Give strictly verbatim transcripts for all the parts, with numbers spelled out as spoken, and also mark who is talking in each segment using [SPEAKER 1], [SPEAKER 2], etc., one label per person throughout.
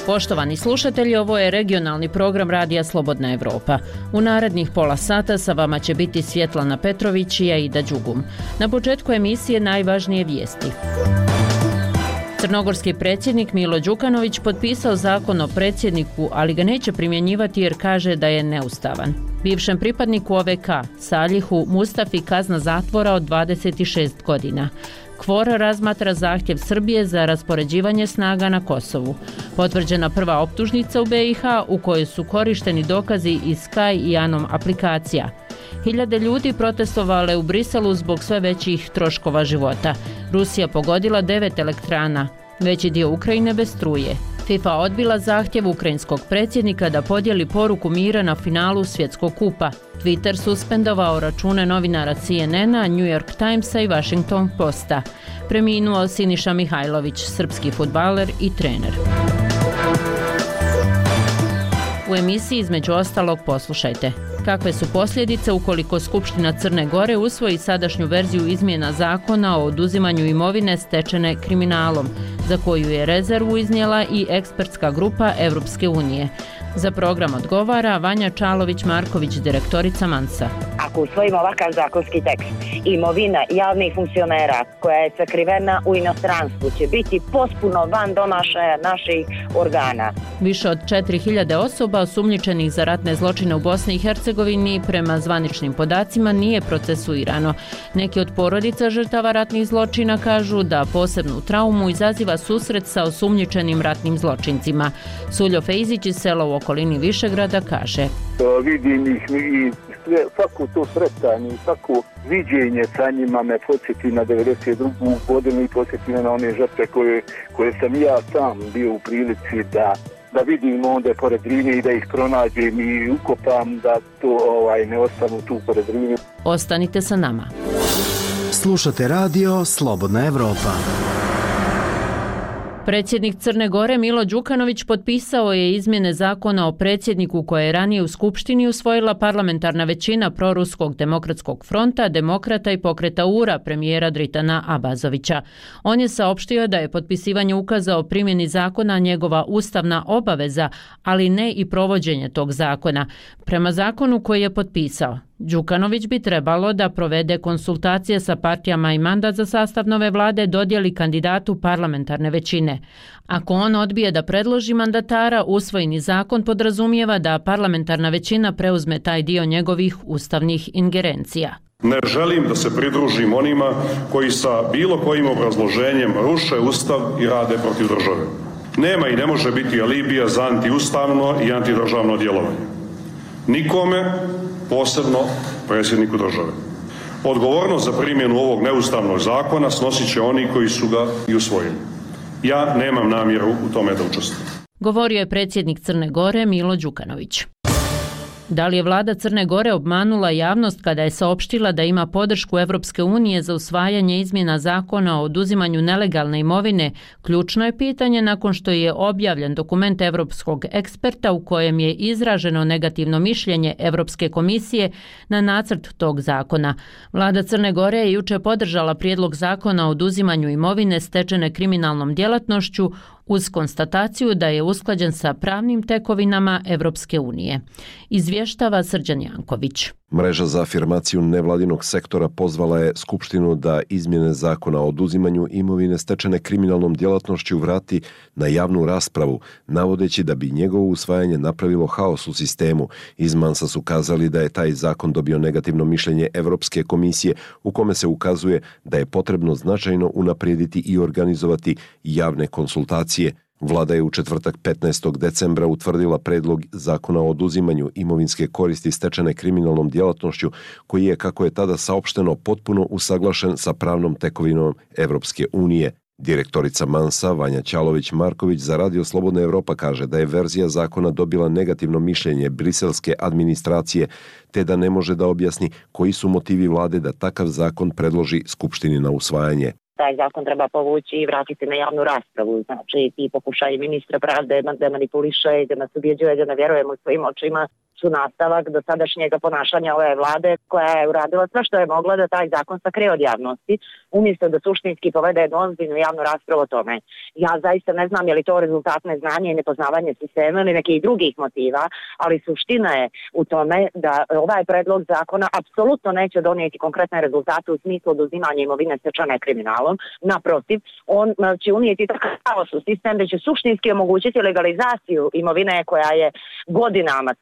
[SPEAKER 1] Poštovani slušatelji, ovo je regionalni program Radija Slobodna Evropa. U narednih pola sata sa vama će biti Svjetlana Petrović i Aida Đugum. Na početku emisije najvažnije vijesti. Crnogorski predsjednik Milo Đukanović potpisao zakon o predsjedniku, ali ga neće primjenjivati jer kaže da je neustavan. Bivšem pripadniku O V K, Salihu Mustafi, kazna zatvora od dvadeset šest godina. Kvor razmatra zahtjev Srbije za raspoređivanje snaga na Kosovu. Potvrđena prva optužnica u B i H u kojoj su korišteni dokazi iz Sky i Anom aplikacija. Hiljade ljudi protestovale u Briselu zbog sve većih troškova života. Rusija pogodila devet elektrana, veći dio Ukrajine bez struje. FIFA odbila zahtjev ukrajinskog predsjednika da podijeli poruku mira na finalu svjetskog kupa. Twitter suspendovao račune novinara C N N-a, New York Timesa i Washington Posta. Preminuo Siniša Mihajlović, srpski fudbaler i trener. U emisiji između ostalog poslušajte. Kakve su posljedice ukoliko Skupština Crne Gore usvoji sadašnju verziju izmjena zakona o oduzimanju imovine stečene kriminalom, za koju je rezervu iznijela i ekspertska grupa Evropske unije. Za program odgovara Vanja Čalović-Marković, direktorica Mansa.
[SPEAKER 2] Ako usvojimo ovakav zakonski tekst, imovina javnih funkcionera koja je sakrivena u inostranstvu će biti potpuno van domašaja naših organa.
[SPEAKER 1] Više od četiri hiljade osoba osumnjičenih za ratne zločine u Bosni i Hercegovini prema zvaničnim podacima nije procesuirano. Neki od porodica žrtava ratnih zločina kažu da posebnu traumu izaziva susret sa osumnjičenim ratnim zločincima. Suljo Fejzić iz sela u okolini Višegrada kaže:
[SPEAKER 3] Vidim ih i svako to sretanje, svako viđenje sa njima me podsjeti na devedeset drugu godinu i podsjeti na one žrtve koje, koje sam ja sam bio u prilici da, da vidim onda pored Drine i da ih pronađem i ukopam, da to ovaj, ne ostanu tu pored Drine.
[SPEAKER 1] Ostanite sa nama.
[SPEAKER 4] Slušate radio Slobodna Evropa.
[SPEAKER 1] Predsjednik Crne Gore Milo Đukanović potpisao je izmjene zakona o predsjedniku koje je ranije u Skupštini usvojila parlamentarna većina Proruskog demokratskog fronta, Demokrata i Pokreta U-ra premijera Dritana Abazovića. On je saopštio da je potpisivanje ukaza o primjeni zakona njegova ustavna obaveza, ali ne i provođenje tog zakona. Prema zakonu koji je potpisao, Đukanović bi trebalo da provede konsultacije sa partijama i mandat za sastav nove vlade dodijeli kandidatu parlamentarne većine. Ako on odbije da predloži mandatara, usvojeni zakon podrazumijeva da parlamentarna većina preuzme taj dio njegovih ustavnih ingerencija.
[SPEAKER 5] Ne želim da se pridružim onima koji sa bilo kojim obrazloženjem ruše ustav i rade protiv države. Nema i ne može biti alibija za antiustavno i antidržavno djelovanje. Nikome, posebno predsjedniku države. Odgovornost za primjenu ovog neustavnog zakona snosit će oni koji su ga i usvojili. Ja nemam namjeru u tome da učestvujem.
[SPEAKER 1] Govorio je predsjednik Crne Gore Milo Đukanović. Da li je vlada Crne Gore obmanula javnost kada je saopštila da ima podršku Evropske unije za usvajanje izmjena zakona o oduzimanju nelegalne imovine, ključno je pitanje nakon što je objavljen dokument evropskog eksperta u kojem je izraženo negativno mišljenje Evropske komisije na nacrt tog zakona. Vlada Crne Gore je juče podržala prijedlog zakona o oduzimanju imovine stečene kriminalnom djelatnošću uz konstataciju da je usklađen sa pravnim tekovinama Evropske unije. Izvještava Srđan Janković.
[SPEAKER 6] Mreža za afirmaciju nevladinog sektora pozvala je Skupštinu da izmjene zakona o oduzimanju imovine stečene kriminalnom djelatnošću vrati na javnu raspravu, navodeći da bi njegovo usvajanje napravilo haos u sistemu. Iz Mansa su kazali da je taj zakon dobio negativno mišljenje Evropske komisije u kome se ukazuje da je potrebno značajno unaprijediti i organizovati javne konsultacije. Vlada je u četvrtak petnaestog decembra utvrdila predlog zakona o oduzimanju imovinske koristi stečene kriminalnom djelatnošću, koji je, kako je tada saopšteno, potpuno usaglašen sa pravnom tekovinom Evropske unije. Direktorica Mansa Vanja Čalović-Marković za Radio Slobodna Evropa kaže da je verzija zakona dobila negativno mišljenje briselske administracije, te da ne može da objasni koji su motivi vlade da takav zakon predloži Skupštini na usvajanje.
[SPEAKER 2] Taj zakon treba povući i vratiti na javnu raspravu. Znači, ti pokušaj ministra pravde da manipuliše i da nas ubjeđuje da ne vjerujemo svojim očima su nastavak do sadašnjeg ponašanja ove vlade koja je uradila sve što je mogla da taj zakon sakrije od javnosti, umjesto da suštinski povede jednu ozbiljnu javnu raspravu o tome. Ja zaista ne znam je li to rezultat neznanja i nepoznavanje sistema ili nekih drugih motiva, ali suština je u tome da ovaj predlog zakona apsolutno neće donijeti konkretne rezultate u smislu oduzimanja imovine stečene kriminalom. Naprotiv, on će unijeti takav kaos u sistem da će suštinski omogućiti legalizaciju imovine koja je godinama.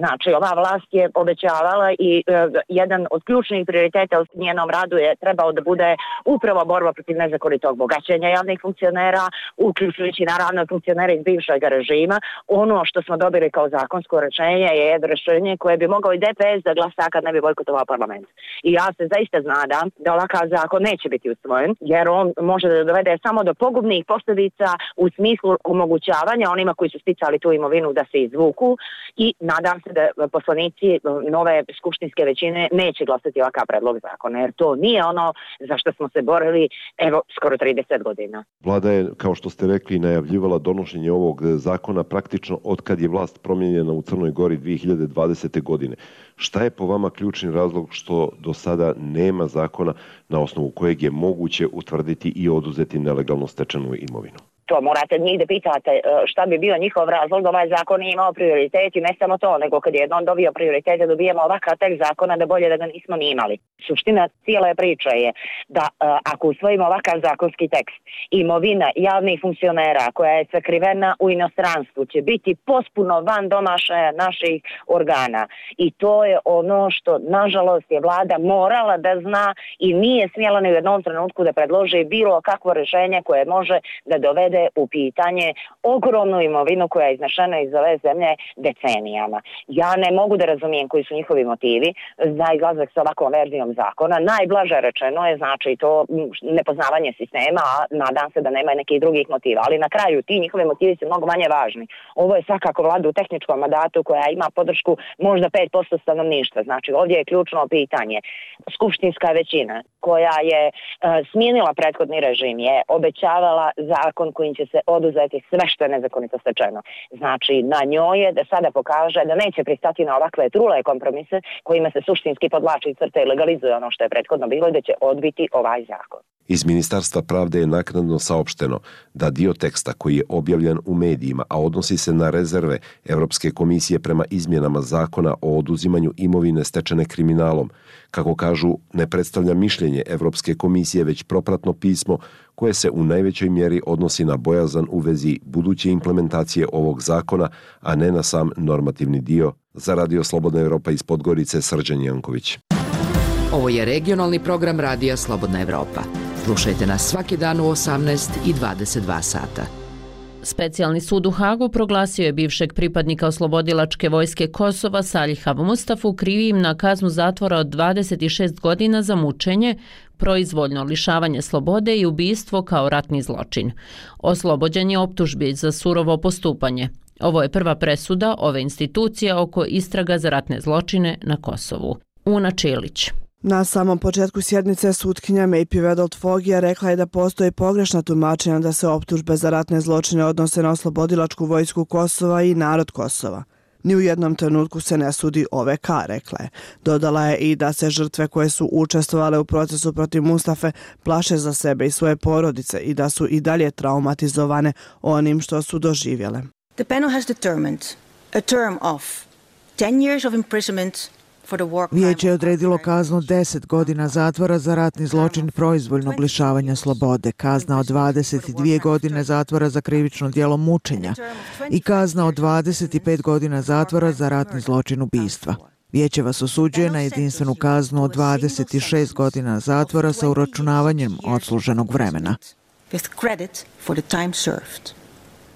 [SPEAKER 2] Znači, ova vlast je obećavala i e, jedan od ključnih prioriteta u njenom radu je trebao da bude upravo borba protiv nezakonitog bogaćenja javnih funkcionera, uključujući naravno funkcionere iz bivšeg režima. Ono što smo dobili kao zakonsko rješenje je jedno rješenje koje bi mogao i D P S da glasa kad ne bi bojkotovao parlament. I ja se zaista znadam da ovakav zakon neće biti usvojen, jer on može da dovede samo do pogubnih posljedica u smislu omogućavanja onima koji su sticali tu imovinu da se izvuku i nadam se da poslanici nove skupštinske većine neće glasati ovakav predlog zakona, jer to nije ono za što smo se borili evo skoro trideset godina.
[SPEAKER 6] Vlada je, kao što ste rekli, najavljivala donošenje ovog zakona praktično od kad je vlast promijenjena u Crnoj Gori dvije hiljade dvadesete. godine. Šta je po vama ključni razlog što do sada nema zakona na osnovu kojeg je moguće utvrditi i oduzeti nelegalno stečenu imovinu?
[SPEAKER 2] To morate njih da pitate šta bi bio njihov razlog da ovaj zakon nije imao prioritet i ne samo to, nego kad je jednom dobio prioritete dobijemo ovakav tekst zakona da bolje da ga nismo ni imali. Suština cijele priče je da ako usvojimo ovakav zakonski tekst, imovina javnih funkcionera koja je sakrivena u inostranstvu će biti potpuno van domašaja naših organa i to je ono što nažalost je vlada morala da zna i nije smjela ni u jednom trenutku da predloži bilo kakvo rješenje koje može da dovede u pitanje ogromnu imovinu koja je iznešena iz ove zemlje decenijama. Ja ne mogu da razumijem koji su njihovi motivi za izlazak sa ovakvom verzijom zakona. Najblaže rečeno je znači to nepoznavanje sistema, a nadam se da nema nekih drugih motiva. Ali na kraju ti njihovi motivi su mnogo manje važni. Ovo je svakako vlada u tehničkom mandatu koja ima podršku možda pet posto stanovništva. Znači ovdje je ključno pitanje. Skupštinska većina koja je uh, smijenila prethodni režim je obećavala zakon kojim će se oduzeti sve što je nezakonito stečeno. Znači, na njoj je da sada pokaže da neće pristati na ovakve trule kompromise kojima se suštinski podlači crte i legalizuje ono što je prethodno bilo i da će odbiti ovaj zakon.
[SPEAKER 6] Iz Ministarstva pravde je naknadno saopšteno da dio teksta koji je objavljen u medijima, a odnosi se na rezerve Europske komisije prema izmjenama zakona o oduzimanju imovine stečene kriminalom, kako kažu, ne predstavlja mišljenje Europske komisije, već propratno pismo koje se u najvećoj mjeri odnosi na bojazan u vezi buduće implementacije ovog zakona, a ne na sam normativni dio. Za Radio Slobodna Evropa iz Podgorice, Srđan Janković.
[SPEAKER 7] Ovo je regionalni program Radija Slobodna Evropa. Slušajte nas svaki dan u osamnaest i dvadeset dva sata.
[SPEAKER 1] Specijalni sud u Hagu proglasio je bivšeg pripadnika oslobodilačke vojske Kosova Saliha Mustafu krivim na kaznu zatvora od dvadeset šest godina za mučenje, proizvoljno lišavanje slobode i ubistvo kao ratni zločin. Oslobođen je optužbi za surovo postupanje. Ovo je prva presuda ove institucije oko istraga za ratne zločine na Kosovu. Una Čilić.
[SPEAKER 8] Na samom početku sjednice sutkinja Mejpi Vedelt-Fogija rekla je da postoji pogrešna tumačenja da se optužbe za ratne zločine odnose na oslobodilačku vojsku Kosova i narod Kosova. Ni u jednom trenutku se ne sudi O V K, rekla je. Dodala je i da se žrtve koje su učestvovale u procesu protiv Mustafe plaše za sebe i svoje porodice i da su i dalje traumatizovane onim što su doživjele.
[SPEAKER 9] The panel has determined a term of ten years of imprisonment.
[SPEAKER 10] Vijeće je odredilo kaznu deset godina zatvora za ratni zločin proizvoljnog lišavanja slobode, kazna od dvadeset dvije godine zatvora za krivično djelo mučenja i kazna od dvadeset pet godina zatvora za ratni zločin ubistva. Vijeće vas osuđuje na jedinstvenu kaznu od dvadeset šest godina zatvora sa uračunavanjem odsluženog vremena.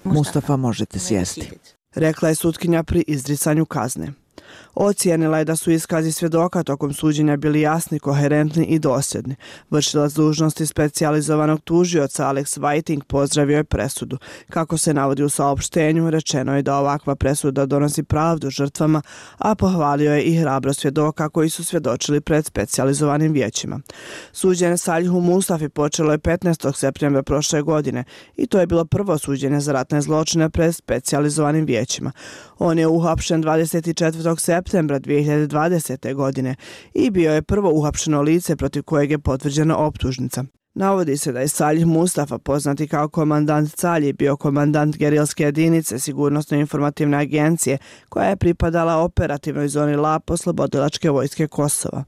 [SPEAKER 8] Mustafa možete sjesti, rekla je sutkinja pri izricanju kazne. Ocijenila je da su iskazi svjedoka tokom suđenja bili jasni, koherentni i dosljedni. Vršilac dužnosti specijalizovanog tužioca Alex Whiting pozdravio je presudu. Kako se navodi u saopštenju, rečeno je da ovakva presuda donosi pravdu žrtvama, a pohvalio je i hrabro svjedoka koji su svjedočili pred specijalizovanim vijećima. Suđenje Salihu Mustafi počelo je petnaestog septembra prošle godine i to je bilo prvo suđenje za ratne zločine pred specijalizovanim vijećima. On je uhapšen dvadeset četvrtog septembra dvije hiljade dvadesete. godine i bio je prvo uhapšeno lice protiv kojeg je potvrđena optužnica. Navodi se da je Salih Mustafa, poznati kao komandant Calji, bio komandant gerilske jedinice Sigurnosno-informativne agencije koja je pripadala operativnoj zoni Lap oslobodilačke vojske Kosova.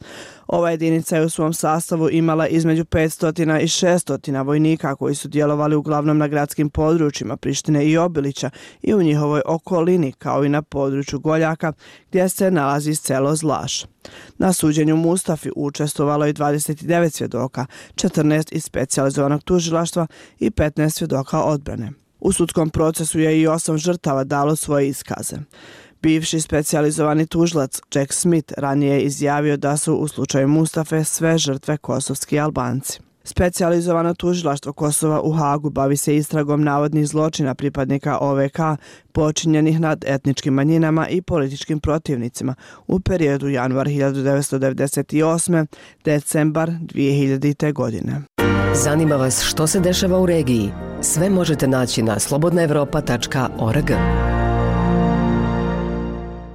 [SPEAKER 8] Ova jedinica je u svom sastavu imala između petsto i šesto vojnika koji su djelovali uglavnom na gradskim područjima Prištine i Obilića i u njihovoj okolini, kao i na području Goljaka gdje se nalazi selo Zlaš. Na suđenju Mustafi učestvovalo je dvadeset devet svjedoka, četrnaest iz specijalizovanog tužilaštva i petnaest svjedoka odbrane. U sudskom procesu je i osam žrtava dalo svoje iskaze. Bivši specijalizovani tužilac Jack Smith ranije je izjavio da su u slučaju Mustafe sve žrtve kosovski Albanci. Specijalizovano tužilaštvo Kosova u Hagu bavi se istragom navodnih zločina pripadnika O V K počinjenih nad etničkim manjinama i političkim protivnicima u periodu januar hiljadu devetsto devedeset osme. decembar dvije hiljadite. godine.
[SPEAKER 11] Zanima vas što se dešava u regiji? Sve možete naći na slobodna evropa tačka org.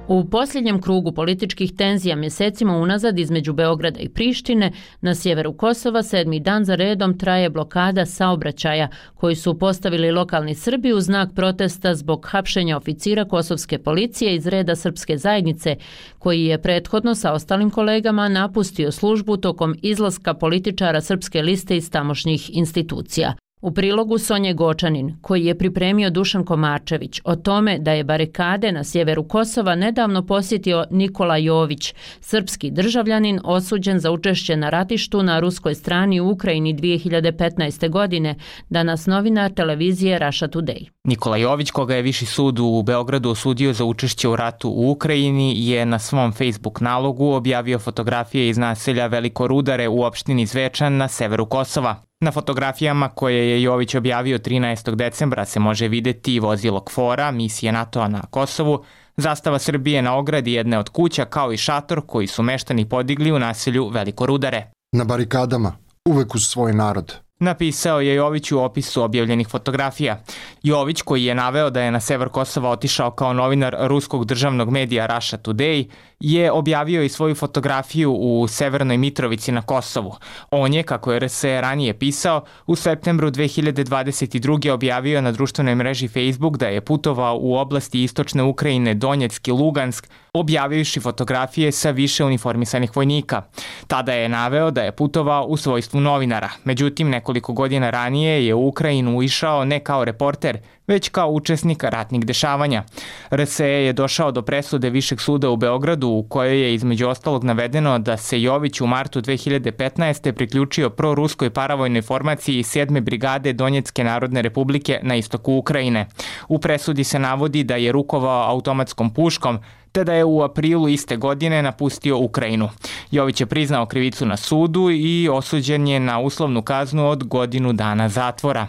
[SPEAKER 1] U posljednjem krugu političkih tenzija mjesecima unazad između Beograda i Prištine na sjeveru Kosova sedmi dan za redom traje blokada saobraćaja koji su postavili lokalni Srbi u znak protesta zbog hapšenja oficira kosovske policije iz reda srpske zajednice koji je prethodno sa ostalim kolegama napustio službu tokom izlaska političara Srpske liste iz tamošnjih institucija. U prilogu Sonje Gočanin, koji je pripremio Dušan Komarčević, o tome da je barikade na sjeveru Kosova nedavno posjetio Nikola Jović, srpski državljanin osuđen za učešće na ratištu na ruskoj strani u Ukrajini dvije hiljade petnaeste. godine, danas novinar televizije Russia Today.
[SPEAKER 12] Nikola Jović, koga je Viši sud u Beogradu osudio za učešće u ratu u Ukrajini, je na svom Facebook nalogu objavio fotografije iz naselja Veliko Rudare u opštini Zvečan na severu Kosova. Na fotografijama koje je Jović objavio trinaestog decembra se može vidjeti vozilo KFOR-a, misije NATO-a na Kosovu, zastava Srbije na ogradi jedne od kuća kao i šator koji su meštani podigli u naselju Veliko Rudare.
[SPEAKER 13] Na barikadama, uvek uz svoj narod.
[SPEAKER 12] Napisao je Jović u opisu objavljenih fotografija. Jović, koji je naveo da je na sever Kosova otišao kao novinar ruskog državnog medija Russia Today, je objavio i svoju fotografiju u Severnoj Mitrovici na Kosovu. On je, kako je R S E ranije pisao, u septembru dvije hiljade dvadeset druge objavio na društvenoj mreži Facebook da je putovao u oblasti istočne Ukrajine Donjeck i Lugansk, objavivši fotografije sa više uniformisanih vojnika. Tada je naveo da je putovao u svojstvu novinara. Međutim, nekoliko godina ranije je u Ukrajinu išao ne kao reporter, već kao učesnik ratnih dešavanja. R S E je došao do presude Višeg suda u Beogradu u kojoj je između ostalog navedeno da se Jović u martu dvije hiljade petnaeste. priključio proruskoj paravojnoj formaciji sedme brigade Donjecke narodne republike na istoku Ukrajine. U presudi se navodi da je rukovao automatskom puškom, te da je u aprilu iste godine napustio Ukrajinu. Jović je priznao krivicu na sudu i osuđen je na uslovnu kaznu od godinu dana zatvora.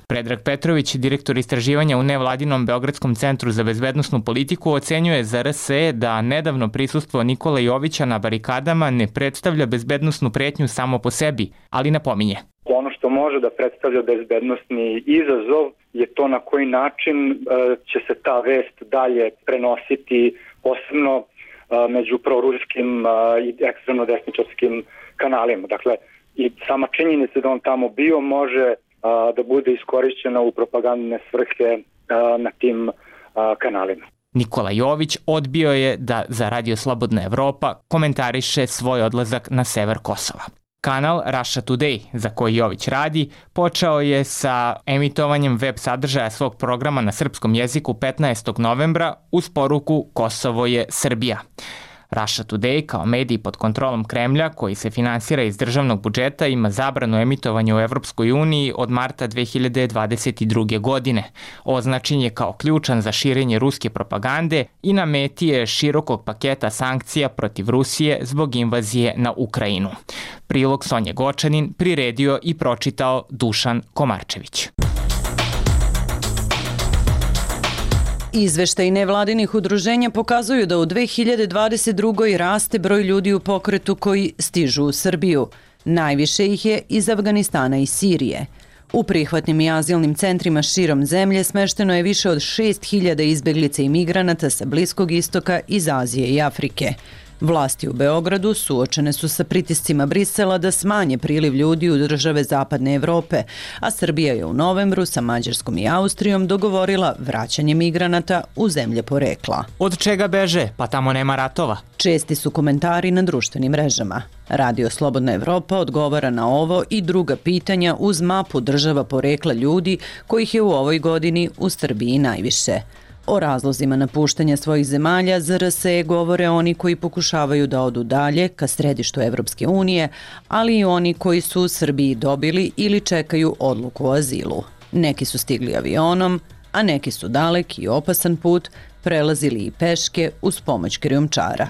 [SPEAKER 12] Predrag Petrović, direktor istraživanja u nevladinom Beogradskom centru za bezbednosnu politiku, ocenjuje za R S E da nedavno prisustvo Nikola Jovića na barikadama ne predstavlja bezbednosnu pretnju samo po sebi, ali napominje.
[SPEAKER 14] Ono što može da predstavlja bezbednosni izazov je to na koji način će se ta vest dalje prenositi, posebno među proruskim i ekstremno desničarskim kanalima. Dakle, i sama činjenica da on tamo bio može da bude iskorišćena u propagandne svrhe na tim kanalima.
[SPEAKER 12] Nikola Jović odbio je da za Radio Slobodna Evropa komentariše svoj odlazak na sever Kosova. Kanal Russia Today, za koji Jović radi, počeo je sa emitovanjem web sadržaja svog programa na srpskom jeziku petnaestog novembra uz poruku Kosovo je Srbija. Russia Today kao medij pod kontrolom Kremlja koji se finansira iz državnog budžeta ima zabranu emitovanja u Evropskoj uniji od marta dve hiljade dvadeset druge. godine. Označen je kao ključan za širenje ruske propagande i na meti je širokog paketa sankcija protiv Rusije zbog invazije na Ukrajinu. Prilog Sonje Gočanin priredio i pročitao Dušan Komarčević.
[SPEAKER 15] Izveštaji nevladinih udruženja pokazuju da u dve hiljade dvadeset drugoj. raste broj ljudi u pokretu koji stižu u Srbiju. Najviše ih je iz Afganistana i Sirije. U prihvatnim i azilnim centrima širom zemlje smešteno je više od šest hiljada izbeglica i migranata sa Bliskog istoka, iz Azije i Afrike. Vlasti u Beogradu suočene su sa pritiscima Brisela da smanje priliv ljudi u države Zapadne Evrope, a Srbija je u novembru sa Mađarskom i Austrijom dogovorila vraćanje migranata u zemlje porekla.
[SPEAKER 12] Od čega beže? Pa tamo nema ratova.
[SPEAKER 15] Česti su komentari na društvenim mrežama. Radio Slobodna Evropa odgovara na ovo i druga pitanja uz mapu država porekla ljudi kojih je u ovoj godini u Srbiji najviše. O razlozima napuštanja svojih zemalja Z R S E govore oni koji pokušavaju da odu dalje ka središtu Evropske unije, ali i oni koji su u Srbiji dobili ili čekaju odluku o azilu. Neki su stigli avionom, a neki su dalek i opasan put prelazili i peške uz pomoć krijumčara.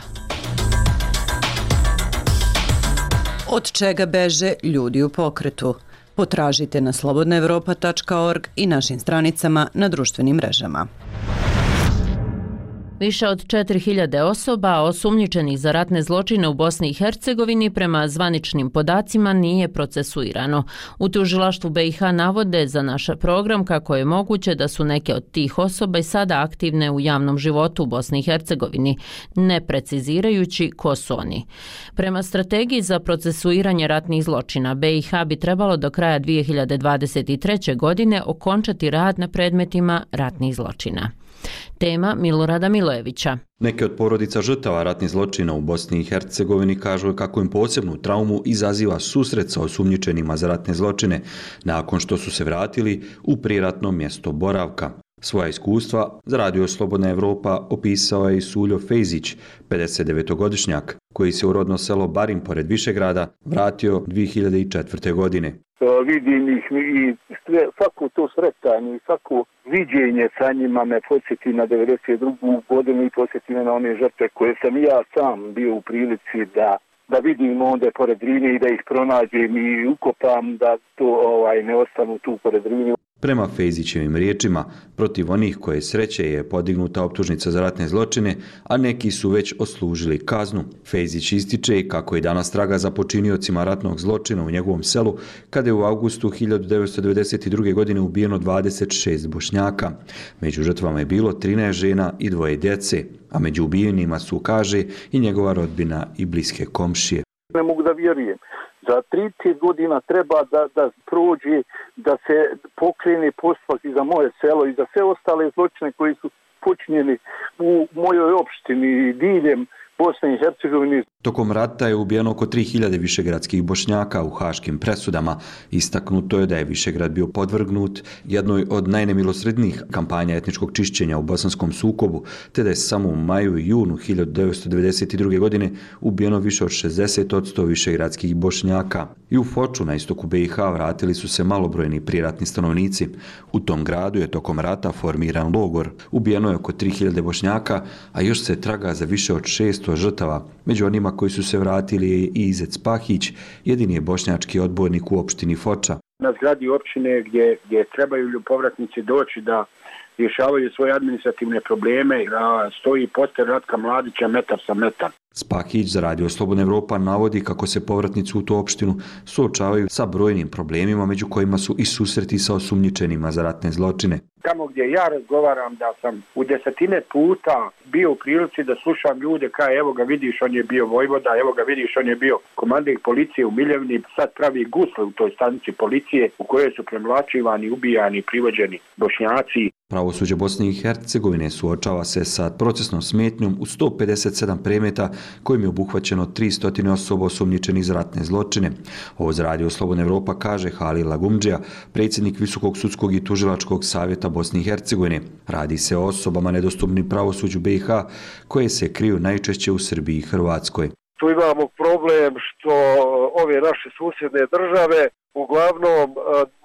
[SPEAKER 15] Od čega beže ljudi u pokretu? Potražite na slobodna evropa tačka org i našim stranicama na društvenim mrežama.
[SPEAKER 1] Više od četiri hiljade osoba osumnjičenih za ratne zločine u Bosni i Hercegovini prema zvaničnim podacima nije procesuirano. U tužilaštvu B i H navode za naš program kako je moguće da su neke od tih osoba i sada aktivne u javnom životu u Bosni i Hercegovini, ne precizirajući ko su oni. Prema strategiji za procesuiranje ratnih zločina, B i H bi trebalo do kraja dve hiljade dvadeset treće. godine okončati rad na predmetima ratnih zločina. Tema Milorada Milojevića.
[SPEAKER 16] Neke od porodica žrtava ratnih zločina u Bosni i Hercegovini kažu kako im posebnu traumu izaziva susret sa osumnjičenima za ratne zločine nakon što su se vratili u prijeratno mjesto boravka. Svoja iskustva za Radio Slobodna Evropa opisao je i Suljo Fejzić, pedesetdevetogodišnjak, koji se u rodno selo Barin pored Višegrada vratio dve hiljade četvrte. godine.
[SPEAKER 3] Vidim ih i sve, svako to sretanje i svako viđenje sa njima me podsjeti na devedeset drugu. godinu i podsjeti me na one žrtve koje sam ja sam bio u prilici da, da vidim onda pored Drine i da ih pronađem i ukopam, da to ovaj, ne ostanu tu pored Drine.
[SPEAKER 16] Prema Fejzićevim riječima, protiv onih koje sreće je podignuta optužnica za ratne zločine, a neki su već odslužili kaznu. Fejzić ističe kako je danas traga za počiniocima ratnog zločina u njegovom selu, kada je u avgustu hiljadu devetsto devedeset druge. godine ubijeno dvadeset šest Bošnjaka. Među žrtvama je bilo trinaest žena i dvoje djece, a među ubijenima su, kaže, i njegova rodbina i bliske komšije.
[SPEAKER 3] Ne mogu da vjerujem. Za trideset godina treba da, da prođe, da se pokrene postupak i za moje selo i za sve ostale zločine koji su počinjeni u mojoj opštini diljem Bosne i Hercegovine.
[SPEAKER 16] Tokom rata je ubijeno oko tri hiljade višegradskih Bošnjaka u haškim presudama. Istaknuto je da je Višegrad bio podvrgnut jednoj od najnemilosrednijih kampanja etničkog čišćenja u bosanskom sukobu, te da je samo u maju i junu hiljadu devetsto devedeset druge. godine ubijeno više od šezdeset posto višegradskih Bošnjaka. I u Foču na istoku B i H vratili su se malobrojni prijeratni stanovnici. U tom gradu je tokom rata formiran logor. Ubijeno je oko tri hiljade Bošnjaka, a još se traga za više od šesto žrtava. Među onima koji su se vratili je i Izet Spahić, jedini je bošnjački odbornik u opštini Foča.
[SPEAKER 17] Na zgradi opštine gdje, gdje trebaju povratnici doći da rješavaju svoje administrativne probleme, stoji poster Ratka Mladića metar sa metar.
[SPEAKER 16] Spahić za Radio Slobodna Evropa navodi kako se povratnici u tu opštinu suočavaju sa brojnim problemima, među kojima su i susreti sa osumnjičenima za ratne zločine.
[SPEAKER 17] Tamo gdje ja razgovaram da sam u desetine puta bio u prilici da slušam ljude kao evo ga vidiš on je bio vojvoda, evo ga vidiš on je bio komandant policije u Miljevni, sad pravi gusle u toj stanici policije u kojoj su premlačivani, ubijani, privođeni Bošnjaci.
[SPEAKER 16] Pravosuđe Bosne i Hercegovine suočava se sa procesnom smetnjom u sto pedeset sedam predmeta kojim je obuhvaćeno tristo osoba osumnjičenih za ratne zločine. Ovo za Radio Slobodna Evropa kaže Halil Lagumdžija, predsjednik Visokog sudskog i tužilačkog savjeta Bosne i Hercegovine. Radi se o osobama nedostupnim pravosuđu B i H koje se kriju najčešće u Srbiji i Hrvatskoj.
[SPEAKER 18] Tu imamo problem što ove naše susjedne države uglavnom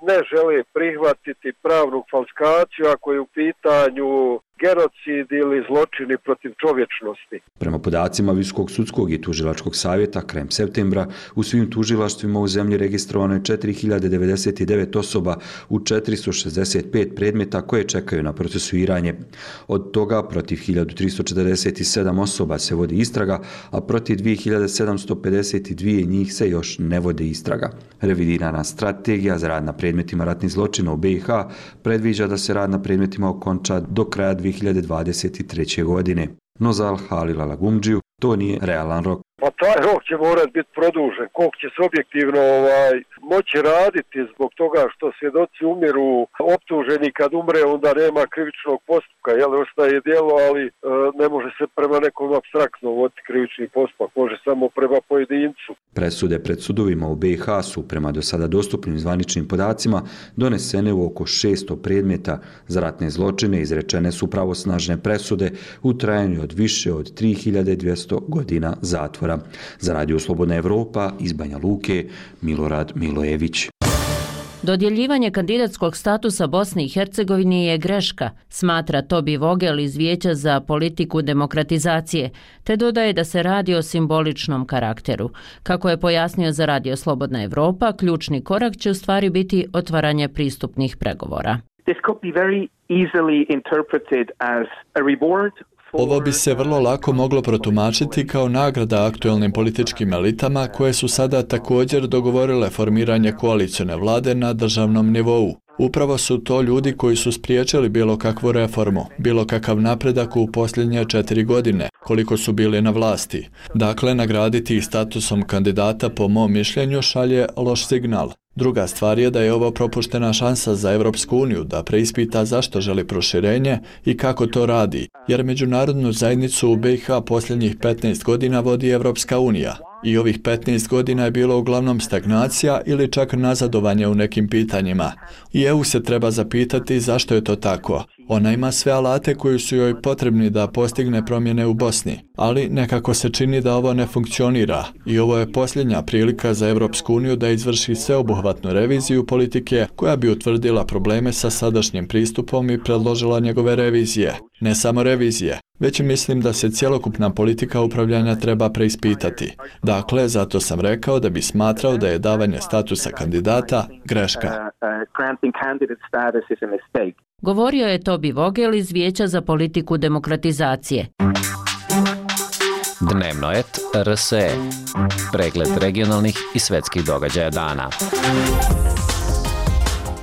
[SPEAKER 18] ne žele prihvatiti pravnu falskaciju ako je u pitanju genocid ili zločini protiv čovječnosti.
[SPEAKER 16] Prema podacima Visokog sudskog i tužilačkog savjeta, krajem septembra u svim tužilaštvima u zemlji registrovano je četiri hiljade devedeset devet osoba u četiristo šezdeset pet predmeta koje čekaju na procesuiranje. Od toga protiv hiljadu tristo četrdeset sedam osoba se vodi istraga, a protiv dvije hiljade sedamsto pedeset dva njih se još ne vodi istraga. Revidirana strategija za rad na predmetima ratnih zločina u B i H predviđa da se rad na predmetima okonča do kraja dvije hiljade dvadeset treće. godine. No za Halila Lagumdžiju to nije realan rok.
[SPEAKER 18] Pa taj rok će morati biti produžen, koliko će se objektivno ovaj, moći raditi zbog toga što svjedoci umiru, optuženi kad umre onda nema krivičnog postupka, jel ostaje djelo, ali e, ne može se prema nekom apstraktno voditi krivični postupak, može samo prema pojedincu.
[SPEAKER 16] Presude pred sudovima u B i H su prema do sada dostupnim zvaničnim podacima donesene u oko šesto predmeta. Za ratne zločine izrečene su pravosnažne presude u trajanju od više od tri hiljade dvjesto godina zatvora. Za Radio Slobodna Evropa iz Banja Luke, Milorad Milojević.
[SPEAKER 1] Dodjeljivanje kandidatskog statusa Bosni i Hercegovini je greška, smatra Tobi Vogel iz Vijeća za politiku demokratizacije, te dodaje da se radi o simboličnom karakteru. Kako je pojasnio za Radio Slobodna Evropa, ključni korak će u stvari biti otvaranje pristupnih pregovora.
[SPEAKER 19] This could be very easily interpreted as a reward.
[SPEAKER 20] Ovo bi se vrlo lako moglo protumačiti kao nagrada aktuelnim političkim elitama koje su sada također dogovorile formiranje koalicione vlade na državnom nivou. Upravo su to ljudi koji su spriječili bilo kakvu reformu, bilo kakav napredak u posljednje četiri godine, koliko su bili na vlasti. Dakle, nagraditi ih statusom kandidata po mom mišljenju šalje loš signal. Druga stvar je da je ovo propuštena šansa za Europsku uniju da preispita zašto želi proširenje i kako to radi, jer međunarodnu zajednicu u B i H posljednjih petnaest godina vodi Europska unija. I ovih petnaest godina je bilo uglavnom stagnacija ili čak nazadovanje u nekim pitanjima. I E U se treba zapitati zašto je to tako. Ona ima sve alate koji su joj potrebni da postigne promjene u Bosni, ali nekako se čini da ovo ne funkcionira i ovo je posljednja prilika za Europsku uniju da izvrši sveobuhvatnu reviziju politike koja bi utvrdila probleme sa sadašnjim pristupom i predložila njegove revizije. Ne samo revizije, već mislim da se cjelokupna politika upravljanja treba preispitati. Dakle, zato sam rekao da bi smatrao da je davanje statusa kandidata greška.
[SPEAKER 1] Govorio je Tobi Vogel iz Vijeća za politiku demokratizacije.
[SPEAKER 21] Dnevnoet R S E. Pregled regionalnih i svetskih događaja dana.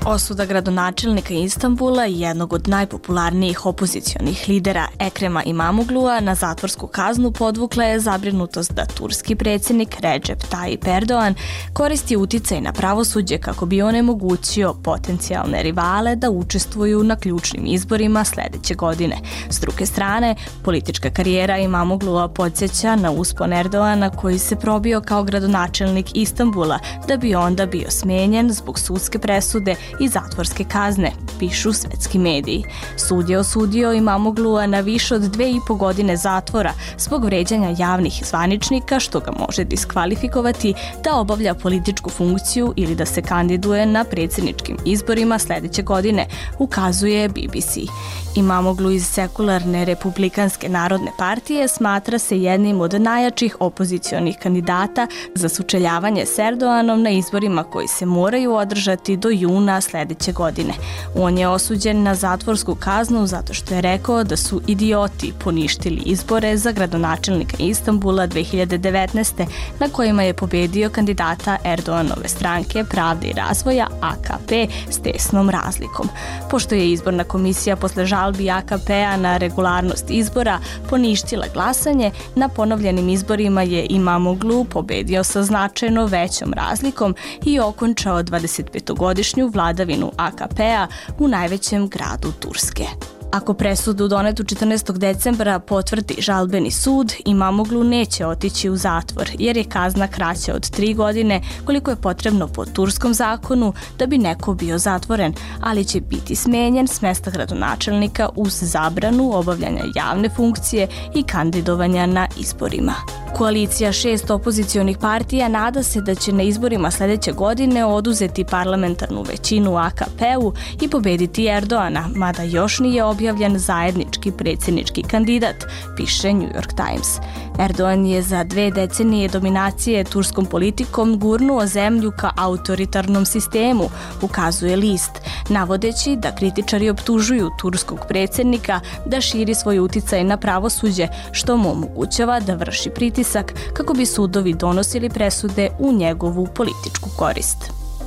[SPEAKER 22] Osuda gradonačelnika Istanbula i jednog od najpopularnijih opozicionih lidera Ekrema Imamoglua na zatvorsku kaznu podvukla je zabrinutost da turski predsjednik Recep Tayyip Erdogan koristi uticaj na pravosuđe kako bi onemogućio potencijalne rivale da učestvuju na ključnim izborima sljedeće godine. S druge strane, politička karijera Imamoglua podsjeća na uspon Erdogana koji se probio kao gradonačelnik Istanbula da bi onda bio smijenjen zbog sudske presude i zatvorske kazne, pišu svetski mediji. Sud je osudio Imamoglua na više od dve i po godine zatvora zbog vređanja javnih zvaničnika, što ga može diskvalifikovati da obavlja političku funkciju ili da se kandiduje na predsjedničkim izborima sljedeće godine, ukazuje B B C. Imamoglu iz sekularne republikanske narodne partije smatra se jednim od najjačih opozicionih kandidata za sučeljavanje s Erdoganom na izborima koji se moraju održati do juna sljedeće godine. On je osuđen na zatvorsku kaznu zato što je rekao da su idioti poništili izbore za gradonačelnika Istanbula dvije hiljade devetnaeste. na kojima je pobedio kandidata Erdoganove stranke Pravde i razvoja A K P s tesnom razlikom. Pošto je izborna komisija posle žalbi A K P-a na regularnost izbora poništila glasanje, na ponovljenim izborima je Imamoglu pobedio sa značajno većom razlikom i okončao dvadesetpetogodišnju vladavinu A K P-a u najvećem gradu Turske. Ako presudu donetu četrnaestog decembra potvrdi žalbeni sud, Imamoglu neće otići u zatvor jer je kazna kraća od tri godine koliko je potrebno po turskom zakonu da bi neko bio zatvoren, ali će biti smenjen s mesta gradonačelnika uz zabranu obavljanja javne funkcije i kandidovanja na izborima. Koalicija šest opozicionih partija nada se da će na izborima sljedeće godine oduzeti parlamentarnu većinu A K P-u i pobediti Erdoana, mada još nije objavljen zajednički predsjednički kandidat, piše New York Times. Erdogan je za dve decenije dominacije turskom politikom gurnuo zemlju ka autoritarnom sistemu, ukazuje list, navodeći da kritičari optužuju turskog predsjednika da širi svoj uticaj na pravosuđe, što mu omogućava da vrši pritisak kako bi sudovi donosili presude u njegovu političku korist.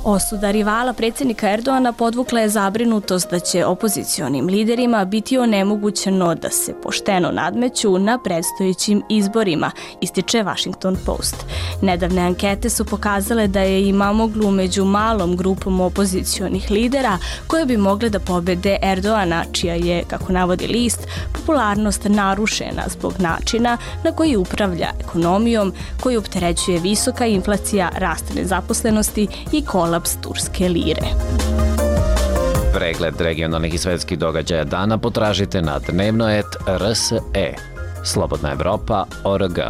[SPEAKER 22] Osuda rivala predsjednika Erdoana podvukla je zabrinutost da će opozicionim liderima biti onemogućeno da se pošteno nadmeću na predstojećim izborima, ističe Washington Post. Nedavne ankete su pokazale da je Imamoglu među malom grupom opozicionih lidera koje bi mogle da pobede Erdoana, čija je, kako navodi list, popularnost narušena zbog načina na koji upravlja ekonomijom, koji opterećuje visoka inflacija, rast nezaposlenosti i kolaps turske lire.
[SPEAKER 21] Pregled regionalnih i svetskih događaja dana potražite na dnevnoet R S E. Slobodna Evropa O R G.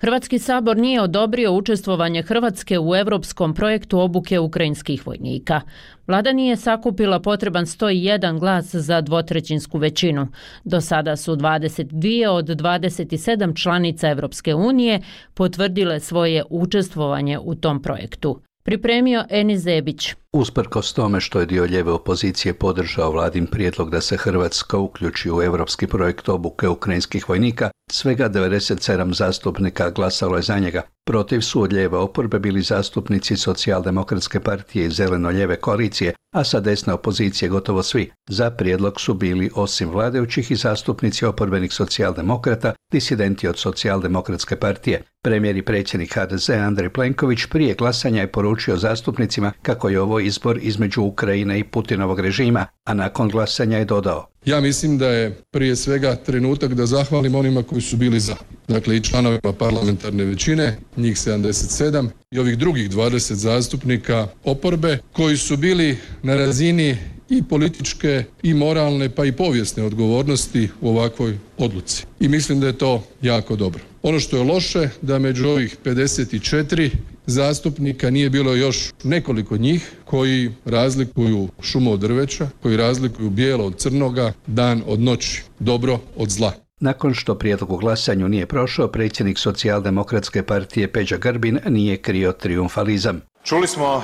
[SPEAKER 1] Hrvatski sabor nije odobrio učestvovanje Hrvatske u europskom projektu obuke ukrajinskih vojnika. Vlada nije sakupila potreban sto jedan glas za dvotrećinsku većinu. Do sada su dvadeset dvije od dvadeset sedam članica Evropske unije potvrdile svoje učestvovanje u tom projektu. Pripremio Enis Zebić.
[SPEAKER 4] Usprkos tome što je dio lijeve opozicije podržao vladin prijedlog da se Hrvatska uključi u europski projekt obuke ukrajinskih vojnika, svega devedeset sedam zastupnika glasalo je za njega. Protiv su od lijeve oporbe bili zastupnici Socijaldemokratske partije i Zeleno-lijeve koalicije, a sa desne opozicije gotovo svi. Za prijedlog su bili osim vladajućih i zastupnici oporbenih socijaldemokrata, disidenti od Socijaldemokratske partije. Premijer i predsjednik H D Z Andrej Plenković prije glasanja je poručio zastupnicima kako je ovo izbor između Ukrajine i Putinovog režima, a nakon glasanja je dodao:
[SPEAKER 5] Ja mislim da je prije svega trenutak da zahvalim onima koji su bili za. Dakle, i članovima parlamentarne većine, njih sedamdeset sedam, i ovih drugih dvadeset zastupnika oporbe koji su bili na razini i političke i moralne pa i povijesne odgovornosti u ovakvoj odluci. I mislim da je to jako dobro. Ono što je loše, da među ovih pedeset četiri zastupnika nije bilo još nekoliko njih koji razlikuju šumu od drveća, koji razlikuju bijelo od crnoga, dan od noći, dobro od zla.
[SPEAKER 4] Nakon što prijedlog u glasanju nije prošao, predsjednik Socijaldemokratske partije Peđa Grbin nije krio trijumfalizam.
[SPEAKER 23] Čuli smo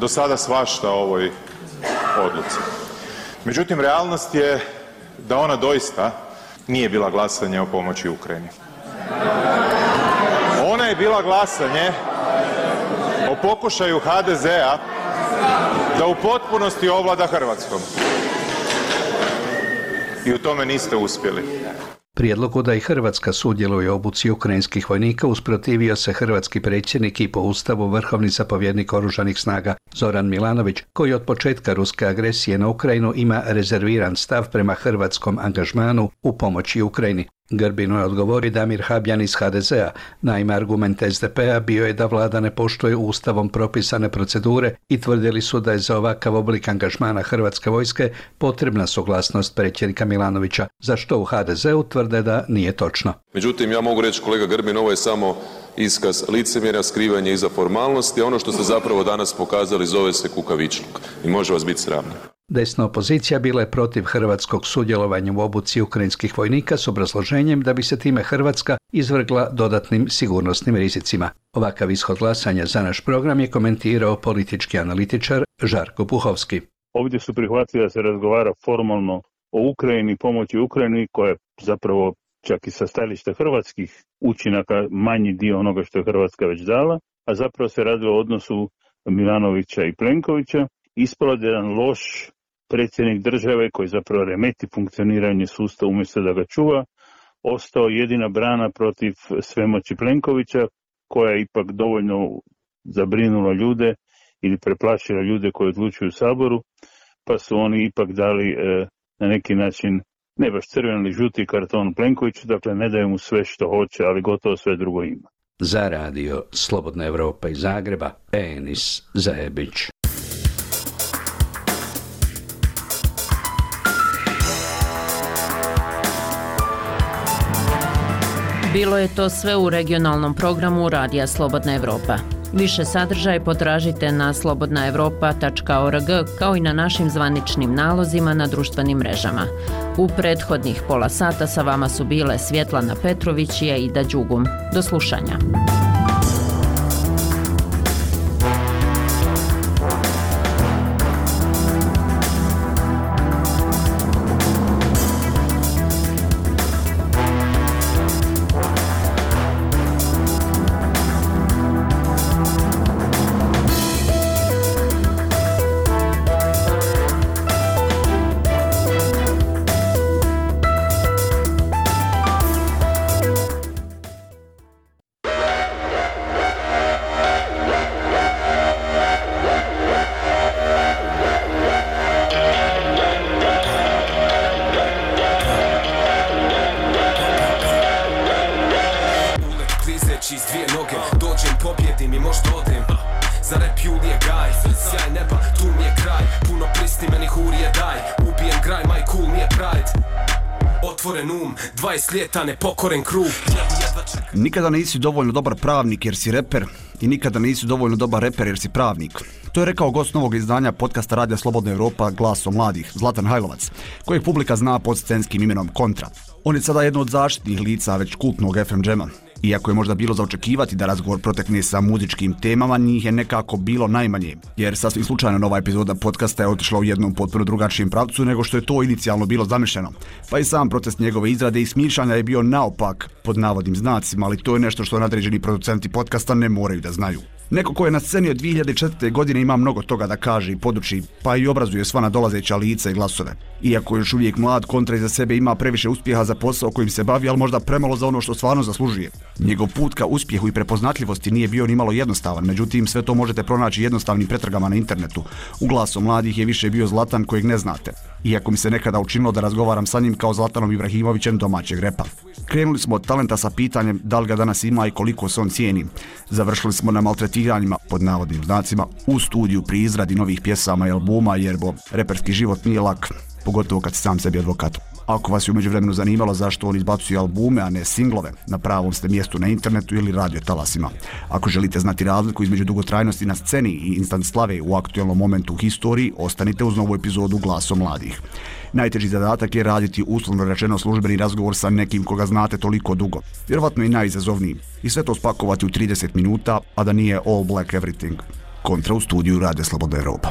[SPEAKER 23] do sada svašta o ovoj odluci. Međutim, realnost je da ona doista nije bila glasanje o pomoći Ukrajini. Ona je bila glasanje o pokušaju H D Z-a da u potpunosti ovlada Hrvatskom. I u tome niste uspjeli.
[SPEAKER 4] Prijedlogu da i Hrvatska sudjeluje u obuci ukrajinskih vojnika usprotivio se hrvatski predsjednik i po ustavu vrhovni zapovjednik oružanih snaga Zoran Milanović, koji od početka ruske agresije na Ukrajinu ima rezerviran stav prema hrvatskom angažmanu u pomoći Ukrajini. Grbinu je odgovori Damir Habjan iz H D Z-a. Naime, argument S D P-a bio je da vlada ne poštuje ustavom propisane procedure i tvrdili su da je za ovakav oblik angažmana hrvatske vojske potrebna suglasnost predsjednika Milanovića, za što u H D Z-u tvrde da nije točno.
[SPEAKER 24] Međutim, ja mogu reći, kolega Grbin, ovo je samo iskaz licemjerja, skrivanje iza formalnosti, a ono što ste zapravo danas pokazali zove se kukavičluk i može vas biti sramno.
[SPEAKER 4] Desna opozicija bila je protiv hrvatskog sudjelovanja u obuci ukrajinskih vojnika s obrazloženjem da bi se time Hrvatska izvrgla dodatnim sigurnosnim rizicima. Ovakav ishod glasanja za naš program je komentirao politički analitičar Žarko Puhovski.
[SPEAKER 25] Ovdje su prihvatili da se razgovara formalno o Ukrajini, pomoći Ukrajini, koja je zapravo čak i sa stajališta hrvatskih učinaka manji dio onoga što je Hrvatska već dala, a zapravo se radilo o odnosu Milanovića i Plenkovića. Ispalo je jedan loš predsjednik države koji zapravo remeti funkcioniranje sustava umjesto da ga čuva, ostao jedina brana protiv svemoći Plenkovića, koja je ipak dovoljno zabrinula ljude ili preplašila ljude koji odlučuju u Saboru, pa su oni ipak dali e, na neki način ne baš crveni ili žuti karton Plenkoviću, dakle ne daju mu sve što hoće, ali gotovo sve drugo ima.
[SPEAKER 4] Za radio Slobodna Evropa iz Zagreba, Enis Zajebić.
[SPEAKER 1] Bilo je to sve u regionalnom programu Radija Slobodna Evropa. Više sadržaj potražite na slobodna evropa tačka org kao i na našim zvaničnim nalozima na društvenim mrežama. U prethodnih pola sata sa vama su bile Svjetlana Petrović i Aida Đugum. Do slušanja.
[SPEAKER 2] Ljeta nepokoren krug.
[SPEAKER 6] Nikada nisi dovoljno dobar pravnik jer si reper i nikada nisi dovoljno dobar reper jer si pravnik. To je rekao gost novog izdanja podcasta Radija Slobodna Evropa Glasom mladih, Zlatan Hajlovac, kojeg publika zna pod scenskim imenom Kontra. On je sada jedno od zaštitnih lica već kultnog F M džema. Iako je možda bilo za očekivati da razgovor protekne sa muzičkim temama, njih je nekako bilo najmanje, jer sasvim slučajno nova epizoda podcasta je otišla u jednom potpuno drugačijem pravcu nego što je to inicijalno bilo zamišljeno. Pa i sam proces njegove izrade i smišljanja je bio naopak, pod navodnim znacima, ali to je nešto što nadređeni producenti podcasta ne moraju da znaju. Neko ko je na sceni od dvije hiljade četvrte. godine ima mnogo toga da kaže i poduči, pa i obrazuje sva nadolazeća lica i glasove. Iako još uvijek mlad, Kontra iza sebe ima previše uspjeha za posao kojim se bavi, ali možda premalo za ono što stvarno zaslužuje. Njegov put ka uspjehu i prepoznatljivosti nije bio ni malo jednostavan, međutim sve to možete pronaći jednostavnim pretragama na internetu. U Glasu mladih je više bio Zlatan kojeg ne znate, iako mi se nekada učinilo da razgovaram sa njim kao Zlatanom Ibrahimovićem domaćeg repa. Krenuli smo od talenta sa pitanjem da li ga danas ima i koliko se on cijeni. Završili smo na maltretiranjima, pod navodnim znacima, u studiju pri izradi novih pjesama i albuma, jer bo reperski život nije lak, pogotovo kad si sam sebi advokat. Ako vas je u međuvremenu zanimalo zašto on izbacuje albume, a ne singlove, na pravom ste mjestu na internetu ili radio talasima. Ako želite znati razliku između dugotrajnosti na sceni i instant slave u aktualnom momentu u historiji, ostanite uz novu epizodu Glasom mladih. Najteži zadatak je raditi uslovno rečeno službeni razgovor sa nekim koga znate toliko dugo. Vjerovatno i najizazovniji. I sve to spakovati u trideset minuta, a da nije all black everything. Kontra u studiju Radija Slobodna Evropa.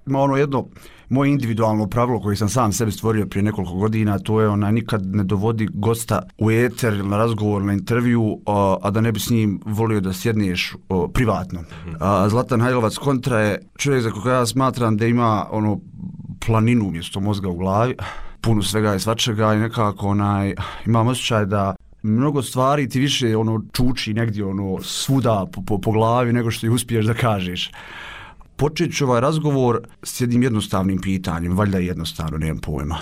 [SPEAKER 6] Ima ono jedno moje individualno pravilo koje sam sam sebi stvorio prije nekoliko godina, to je ona nikad ne dovodi gosta u eter ili na razgovor, na intervju, a, a da ne bi s njim volio da sjedneš o, privatno. A, Zlatan Hajlovac Kontra je čovjek za koga ja smatram da ima ono planinu umjesto mozga u glavi, puno svega i svačega i nekako onaj, imam osjećaj da mnogo stvari ti više ono čuči negdje ono svuda po, po, po glavi nego što ti uspiješ da kažeš. Počet ću ovaj razgovor s jednim jednostavnim pitanjem, valjda je jednostavno, nemam pojma.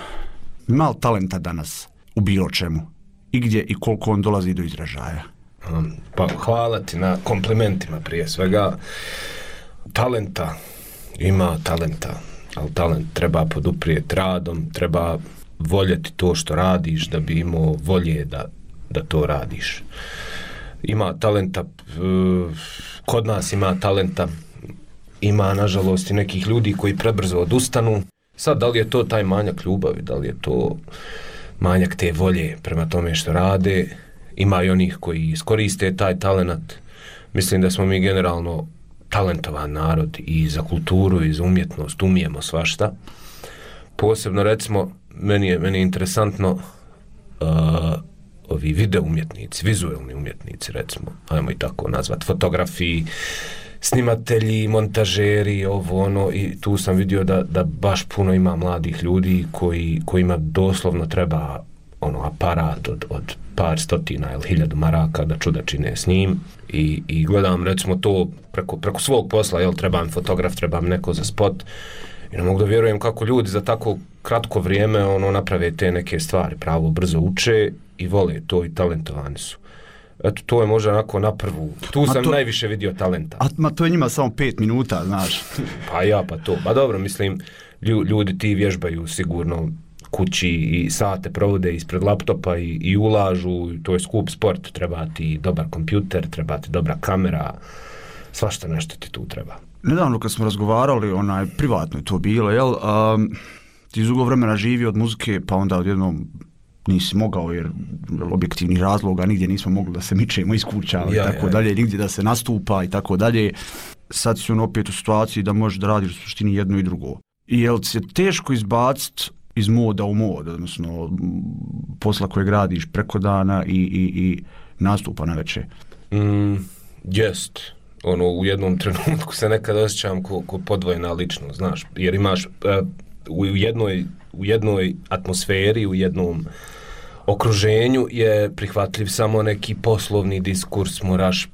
[SPEAKER 6] Ima li talenta danas u bilo čemu? I gdje i koliko on dolazi do izražaja?
[SPEAKER 7] Um, pa hvala ti na komplimentima prije svega. Talenta, ima talenta, ali talent treba poduprijeti radom, treba voljeti to što radiš da bi imao volje da, da to radiš. Ima talenta, kod nas ima talenta, ima nažalost i nekih ljudi koji prebrzo odustanu. Sad, da li je to taj manjak ljubavi, da li je to manjak te volje prema tome što rade, ima i onih koji iskoriste taj talent. Mislim da smo mi generalno talentovan narod i za kulturu i za umjetnost, umijemo svašta. Posebno recimo, meni je, meni je interesantno uh, ovi video umjetnici, vizualni umjetnici recimo, ajmo i tako nazvat, fotografiji, snimatelji, montažeri, ovo ono, i tu sam vidio da, da baš puno ima mladih ljudi koji, kojima doslovno treba ono aparat od, od par stotina ili hiljadu maraka da čuda čine s njim i, i gledam recimo to preko, preko svog posla, jel, treba mi fotograf, treba mi neko za spot i ne mogu da vjerujem kako ljudi za tako kratko vrijeme ono naprave te neke stvari, pravo brzo uče i vole to i talentovani su. Eto, to je možda onako na prvu. Tu
[SPEAKER 6] ma
[SPEAKER 7] sam
[SPEAKER 6] to,
[SPEAKER 7] najviše vidio talenta.
[SPEAKER 6] A ma to je njima samo pet minuta, znaš.
[SPEAKER 7] Pa ja, pa to. Pa dobro, mislim, ljudi ti vježbaju sigurno kući i sate provode ispred laptopa i, i ulažu, to je skup sport, treba ti dobar kompjuter, treba ti dobra kamera, svašta nešto ti tu treba.
[SPEAKER 6] Nedavno kad smo razgovarali, onaj, privatno je to bilo, jel, um, ti iz dugo vremena živi od muzike, pa onda odjednom nisi mogao jer objektivnih razloga nigdje nismo mogli da se mičemo iz kuća i ja, tako ja, dalje, nigdje da se nastupa i tako dalje. Sad si on opet u situaciji da možeš da radiš u suštini jedno i drugo. I jel se teško izbaciti iz moda u mod, odnosno posla koje gradiš preko dana i, i, i nastupa na večer?
[SPEAKER 7] Mm, jest. Ono, u jednom trenutku se nekad osjećam ko, ko podvojena ličnost, znaš, jer imaš uh, u jednoj u jednoj atmosferi, u jednom okruženju je prihvatljiv samo neki poslovni diskurs, moraš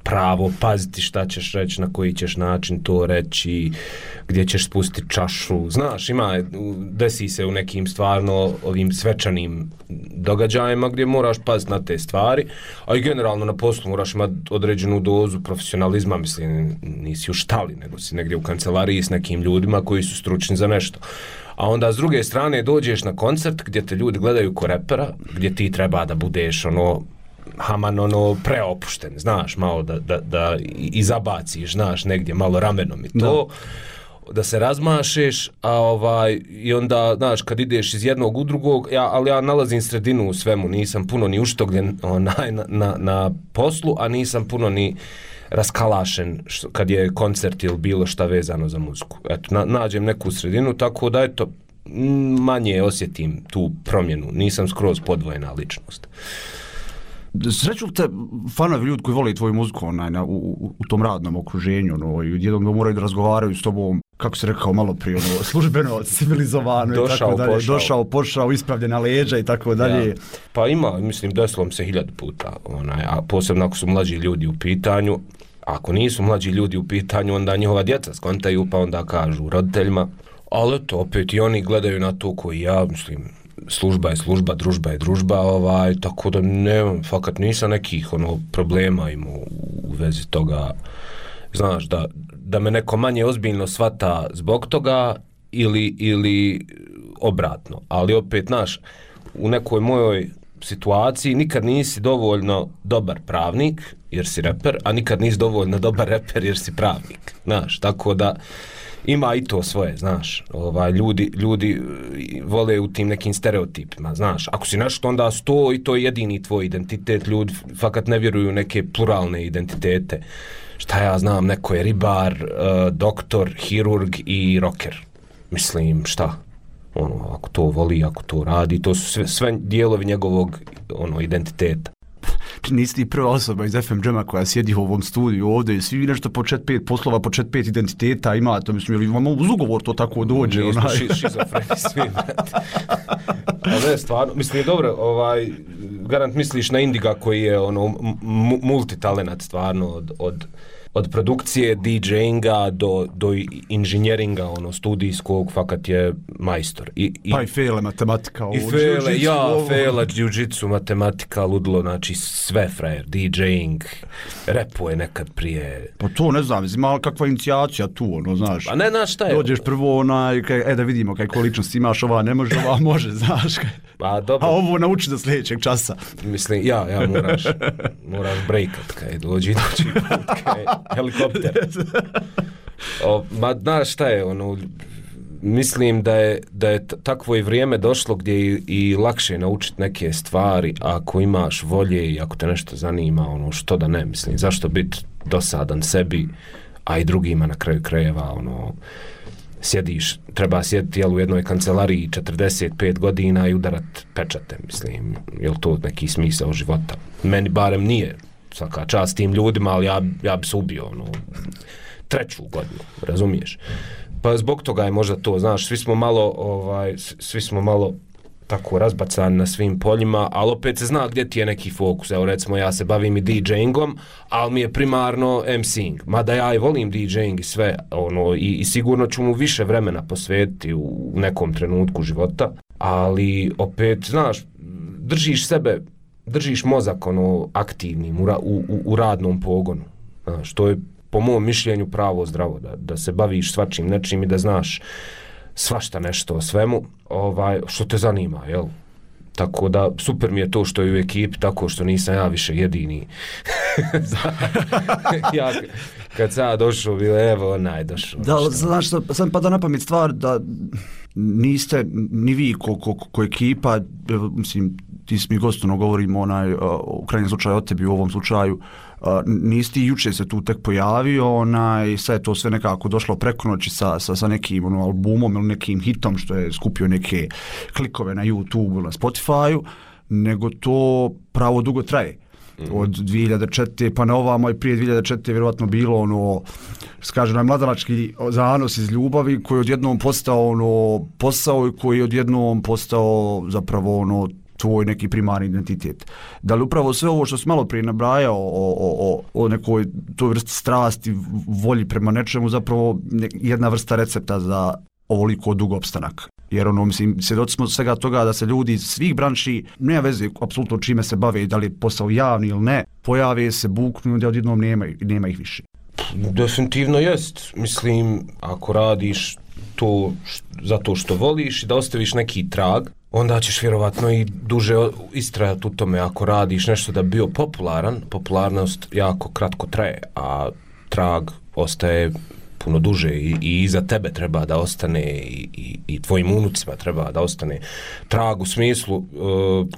[SPEAKER 7] pravo paziti šta ćeš reći, na koji ćeš način to reći, gdje ćeš spustiti čašu, znaš, ima, desi se u nekim stvarno ovim svečanim događajima gdje moraš paziti na te stvari, a i generalno na poslu moraš imati određenu dozu profesionalizma, mislim, nisi u štali, nego si negdje u kancelariji s nekim ljudima koji su stručni za nešto. A onda s druge strane dođeš na koncert gdje te ljudi gledaju ko repera, gdje ti treba da budeš ono Haman ono preopušten, znaš, malo da, da, da i zabaciš, znaš, negdje malo ramenom i to, da, da se razmašeš, a ovaj, i onda, znaš, kad ideš iz jednog u drugog, ja, ali ja nalazim sredinu u svemu, nisam puno ni uštogljen onaj, na, na, na poslu, a nisam puno ni raskalašen što, kad je koncert ili bilo šta vezano za muziku. Eto, na, nađem neku sredinu, tako da eto, manje osjetim tu promjenu, nisam skroz podvojena ličnost.
[SPEAKER 6] Sreću li te fanovi ljudi koji vole tvoju muziku onaj, na, u, u, u tom radnom okruženju, no, i jednom da moraju da razgovaraju s tobom, kako si rekao malo prije, ono, službeno, civilizovano i tako dalje, pošao. došao, pošao, ispravljena leđa i tako dalje.
[SPEAKER 7] Ja. Pa ima, mislim, desilo se hiljadu puta, onaj, a posebno ako su mlađi ljudi u pitanju, ako nisu mlađi ljudi u pitanju, onda njihova djeca skontaju, pa onda kažu roditeljima, ali to opet i oni gledaju na to koji ja, mislim, služba je služba, družba je družba, ovaj, tako da nemam, fakat nisam nekih ono problema imao u vezi toga, znaš, da, da me neko manje ozbiljno shvata zbog toga ili, ili obratno, ali opet, znaš, u nekoj mojoj situaciji nikad nisi dovoljno dobar pravnik jer si reper, a nikad nisi dovoljno dobar reper jer si pravnik, znaš, tako da ima i to svoje, znaš, ovaj, ljudi, ljudi vole u tim nekim stereotipima, znaš, ako si nešto onda sto i to je jedini tvoj identitet, ljudi fakat ne vjeruju u neke pluralne identitete, šta ja znam, neko je ribar, uh, doktor, hirurg i rocker, mislim, šta, ono, ako to voli, ako to radi, to su sve, sve dijelovi njegovog, ono, identiteta.
[SPEAKER 6] Nisi ti prva osoba iz F M Jama koja sjedi u ovom studiju ovdje i svi nešto po čet pet poslova, po čet pet identiteta ima, to mislim, ili vam uz ugovor to tako dođe?
[SPEAKER 7] Nismo ši, šizofreni svi, brate. A ne, stvarno, mislim, dobro, ovaj, garant misliš na Indiga koji je ono, multitalenat stvarno od, od od produkcije, DJinga do, do inženjeringa, ono, studijskog, fakat je majstor. I, i,
[SPEAKER 6] pa i fele, matematika.
[SPEAKER 7] I fele, ja, fela, jiu-jitsu, matematika, ludlo, znači sve frajer, DJing, repuje nekad prije.
[SPEAKER 6] Pa to ne znam, ima kakva inicijacija tu, ono, znaš.
[SPEAKER 7] Pa ne, znaš šta je?
[SPEAKER 6] Dođeš prvo, onaj, kaj, e da vidimo kaj količnost imaš, ova ne može, ova može, znaš.
[SPEAKER 7] Pa dobro.
[SPEAKER 6] A ovo nauči do sljedećeg časa.
[SPEAKER 7] Mislim, ja, ja moraš, moraš breakat, kaj dođi, dođi put, kaj helikopter. O, ma, znaš šta je, ono, mislim da je, da je takvo i vrijeme došlo gdje i, i lakše naučiti neke stvari ako imaš volje i ako te nešto zanima, ono, što da ne, mislim, zašto biti dosadan sebi, a i drugima na kraju krajeva, ono, sjediš, treba sjediti jel, u jednoj kancelariji četrdeset pet godina i udarat pečate, mislim, je li to neki smisao života? Meni barem nije, svaka čast tim ljudima, ali ja, ja bi se ubio, ono, treću godinu, razumiješ? Pa zbog toga je možda to, znaš, svi smo malo, ovaj, svi smo malo tako razbacan na svim poljima, ali opet se zna gdje ti je neki fokus. Evo recimo ja se bavim i DJingom, ali mi je primarno MCing. Mada ja i volim DJing i sve, ono, i, i sigurno ću mu više vremena posvetiti u nekom trenutku života, ali opet, znaš, držiš sebe, držiš mozak ono aktivnim u, u, u radnom pogonu. Znaš, to je po mom mišljenju pravo zdravo, da, da se baviš svačim nečim i da znaš svašta nešto o svemu, ovaj, što te zanima, jel? Tako da, super mi je to što je u ekipi, tako što nisam ja više jedini. Ja, kad sam ja došao, bilo, evo, onaj došao.
[SPEAKER 6] Da, znaš, sam pada na pamet stvar da niste ni vi ko, ko, ko ekipa, mislim, ti mi gostovno govorimo onaj, u krajnjem slučaju o tebi u ovom slučaju, Uh, nisi ti juče se tu tek pojavio, onaj, sad je to sve nekako došlo preko noći sa, sa, sa nekim ono, albumom ili nekim hitom što je skupio neke klikove na YouTube ili na Spotify-u, nego to pravo dugo traje. Mm-hmm. Od dvije hiljade četvrte pa na ovamo i prije dvije hiljade četvrte vjerovatno bilo ono, skaže onaj mladalački zanos iz ljubavi koji je odjednom postao ono, posao i koji je odjednom postao zapravo ono, tvoj neki primarni identitet. Da li upravo sve ovo što si malo prije nabrajao o, o, o, o nekoj toj vrsti strasti, volji prema nečemu, zapravo jedna vrsta recepta za ovoliko dug opstanak. Jer ono, mislim, svjedoci smo svega toga da se ljudi svih branši, nema veze apsolutno čime se bave, da li je posao javni ili ne, pojave se, buknu, da odjednom nema, nema ih više.
[SPEAKER 7] Definitivno jest. Mislim, ako radiš to zato što voliš i da ostaviš neki trag, onda ćeš vjerovatno i duže istrajati u tome. Ako radiš nešto da bi bio popularan, popularnost jako kratko traje, a trag ostaje puno duže i, i iza tebe treba da ostane i, i, i tvojim unucima treba da ostane trag u smislu uh,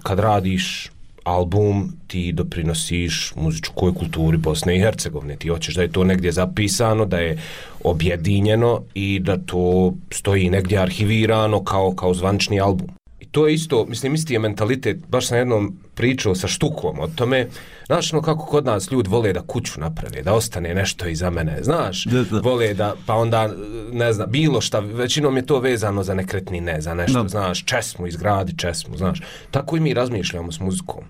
[SPEAKER 7] kad radiš album ti doprinosiš muzičkoj kulturi Bosne i Hercegovine, ti hoćeš da je to negdje zapisano, da je objedinjeno i da to stoji negdje arhivirano kao, kao zvančni album. I to je isto, mislim, isti je mentalitet, baš sam jednom pričao sa Štukom o tome, znaš no kako kod nas ljudi vole da kuću naprave, da ostane nešto iza mene, znaš, da, da. Vole da, pa onda, ne znam, bilo šta, većinom je to vezano za nekretnine, za nešto, da. Znaš, česmu, izgradi česmu, znaš, tako i mi razmišljamo s muzikom.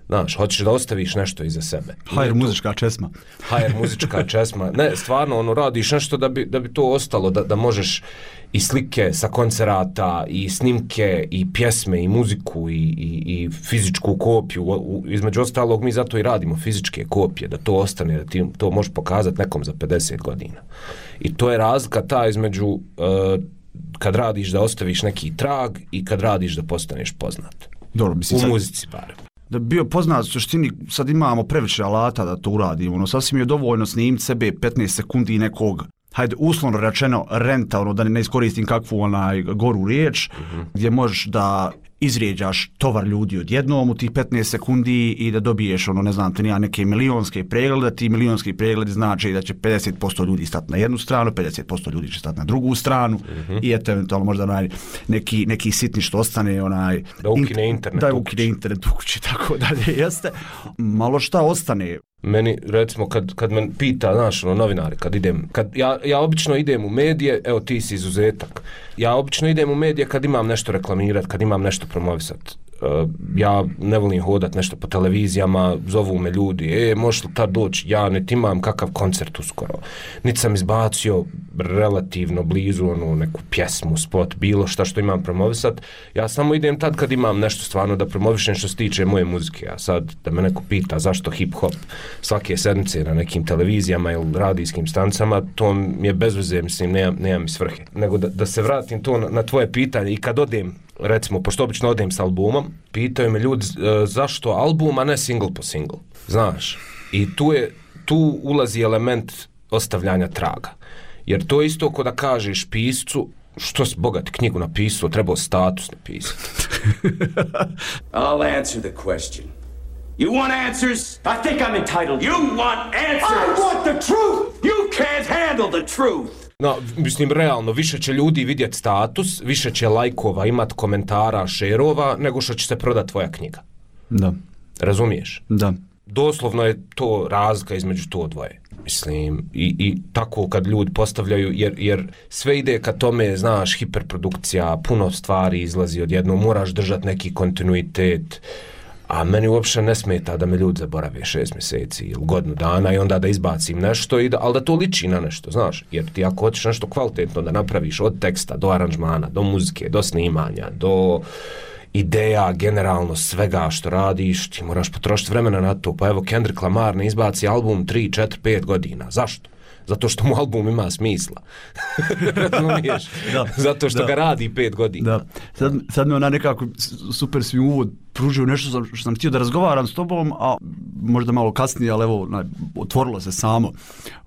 [SPEAKER 7] Znaš, hoćeš da ostaviš nešto iza sebe.
[SPEAKER 6] Hajer muzička česma.
[SPEAKER 7] Hajer muzička česma. Ne, stvarno, ono, radiš nešto da bi, da bi to ostalo, da, da možeš i slike sa koncerata, i snimke, i pjesme, i muziku, i, i, i fizičku kopiju. U, između ostalog, mi zato i radimo fizičke kopije, da to ostane, da ti to možeš pokazati nekom za pedeset godina. I to je razlika ta između uh, kad radiš da ostaviš neki trag i kad radiš da postaneš poznat.
[SPEAKER 6] Dobro, mislim,
[SPEAKER 7] u muzici barem.
[SPEAKER 6] Da bi bio poznat u suštini, sad imamo previše alata da to uradimo, ono, sasvim je dovoljno snimiti sebe petnaest sekundi nekog, hajde uslovno rečeno renta, ono, da ne iskoristim kakvu onaj goru riječ, mm-hmm. gdje možeš da izrijeđaš tovar ljudi odjednom u tih petnaest sekundi i da dobiješ, ono, ne znam, te nija neke milionske preglede, ti milionski pregledi znači da će pedeset posto ljudi stati na jednu stranu, pedeset posto ljudi će stati na drugu stranu, mm-hmm. i eto, eventualno možda onaj, neki, neki sitni što ostane, onaj...
[SPEAKER 7] Da ukine internet.
[SPEAKER 6] Da ukine internet u kući, tako dalje, jeste. Malo šta ostane.
[SPEAKER 7] Meni, recimo, kad, kad me pita, znaš, ono, novinari, kad idem, kad ja, ja obično idem u medije, evo ti si izuzetak, ja obično idem u medije kad imam nešto reklamirat, kad imam nešto promovisat. Uh, ja ne volim hodat nešto po televizijama, zovu me ljudi, e, možeš li tad doći, ja ne imam kakav koncert uskoro. Niti sam izbacio relativno blizu onu neku pjesmu, spot, bilo šta što imam promovisat. Ja samo idem tad kad imam nešto stvarno da promovišem što se tiče moje muzike. A sad da me neko pita zašto hip-hop svake sedmice na nekim televizijama ili radijskim stancama, to mi je bez veze, mislim, nema, nema mi svrhe. Nego da, da se vratim to na, na tvoje pitanje i kad odem, recimo, pošto obično odem s albumom, pitaju me ljudi e, zašto album, a ne single po single. Znaš, i tu, je, tu ulazi element ostavljanja traga. Jer to je isto ko da kažeš piscu, što si bogat knjigu napisao, trebao status napisati.
[SPEAKER 8] I'll answer the question. You want answers? I think I'm entitled. You want answers? I want the truth! You can't handle the truth!
[SPEAKER 7] No, mislim, realno, više će ljudi vidjeti status, više će lajkova, imat komentara, šerova, nego što će se prodati tvoja knjiga.
[SPEAKER 6] Da.
[SPEAKER 7] Razumiješ?
[SPEAKER 6] Da.
[SPEAKER 7] Doslovno je to razlika između to dvoje. Mislim, i, i tako kad ljudi postavljaju, jer, jer sve ide ka tome, znaš, hiperprodukcija, puno stvari izlazi odjednom, moraš držati neki kontinuitet, a meni uopšte ne smeta da me ljudi zaborave šest mjeseci ili godinu dana i onda da izbacim nešto, i da, ali da to liči na nešto, znaš, jer ti ako hoćeš nešto kvalitetno da napraviš od teksta do aranžmana, do muzike, do snimanja, do ideja, generalno svega što radiš, ti moraš potrošiti vremena na to. Pa evo, Kendrick Lamar ne izbaci album tri, četiri, pet godina. Zašto? Zato što mu album ima smisla. Razumiješ? Da, zato što da. ga radi pet godina.
[SPEAKER 6] Da. Sad, sad me ona nekako super svi uvod pružio nešto što sam htio da razgovaram s tobom, a možda malo kasnije, ali evo, onaj, otvorilo se samo.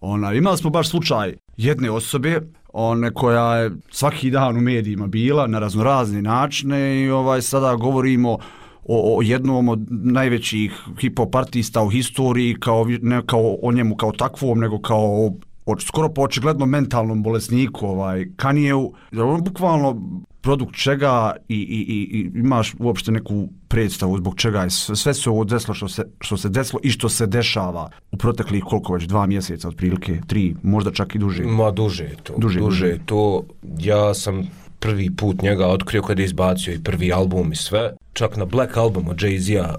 [SPEAKER 6] Ona, imali smo baš slučaj jedne osobe, one koja je svaki dan u medijima bila na raznorazne načine i ovaj sada govorimo o, o jednom od najvećih hip-hop artista u historiji, kao, ne kao o njemu kao takvom, nego kao o, skoro po očigledno mentalnom bolesniku, ovaj, Kanyeju. On bukvalno produkt čega i, i, i imaš uopšte neku predstavu zbog čega je sve, sve se ovo desilo što se, što se desilo i što se dešava u proteklih koliko već dva mjeseca otprilike, tri, možda čak i duže.
[SPEAKER 7] Ma duže je to.
[SPEAKER 6] Duže,
[SPEAKER 7] duže
[SPEAKER 6] duže.
[SPEAKER 7] to. Ja sam prvi put njega otkrio kad je izbacio i prvi album i sve. Čak na Black Album od Jay-Z-a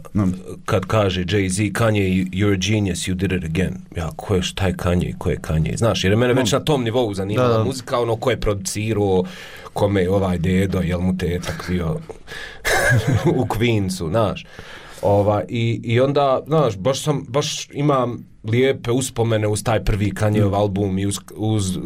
[SPEAKER 7] kad kaže Jay-Z, Kanye, you're a genius, you did it again. Ja, ko je taj Kanye, ko je Kanye? Znaš, jer je mene već na tom nivou zanimala da. muzika, ono ko je producirao, kome je ovaj dedo, jel mu tetak bio u Queensu, znaš. Ova, i, i onda, znaš, baš sam, baš imam lijepe uspomene uz taj prvi Kanyeov album i uz, uz uh,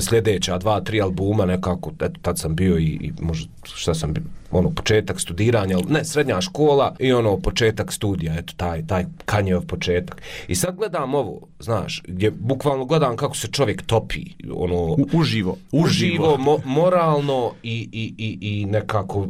[SPEAKER 7] sljedeća dva, tri albuma nekako, eto, tad sam bio i, i možda šta sam bio, ono, početak studiranja, ne, srednja škola i ono, početak studija, eto, taj, taj Kanyeov početak. I sad gledam ovo, znaš, gdje bukvalno gledam kako se čovjek topi, ono...
[SPEAKER 6] U, uživo.
[SPEAKER 7] Uživo, mo, moralno i, i, i, i nekako uh,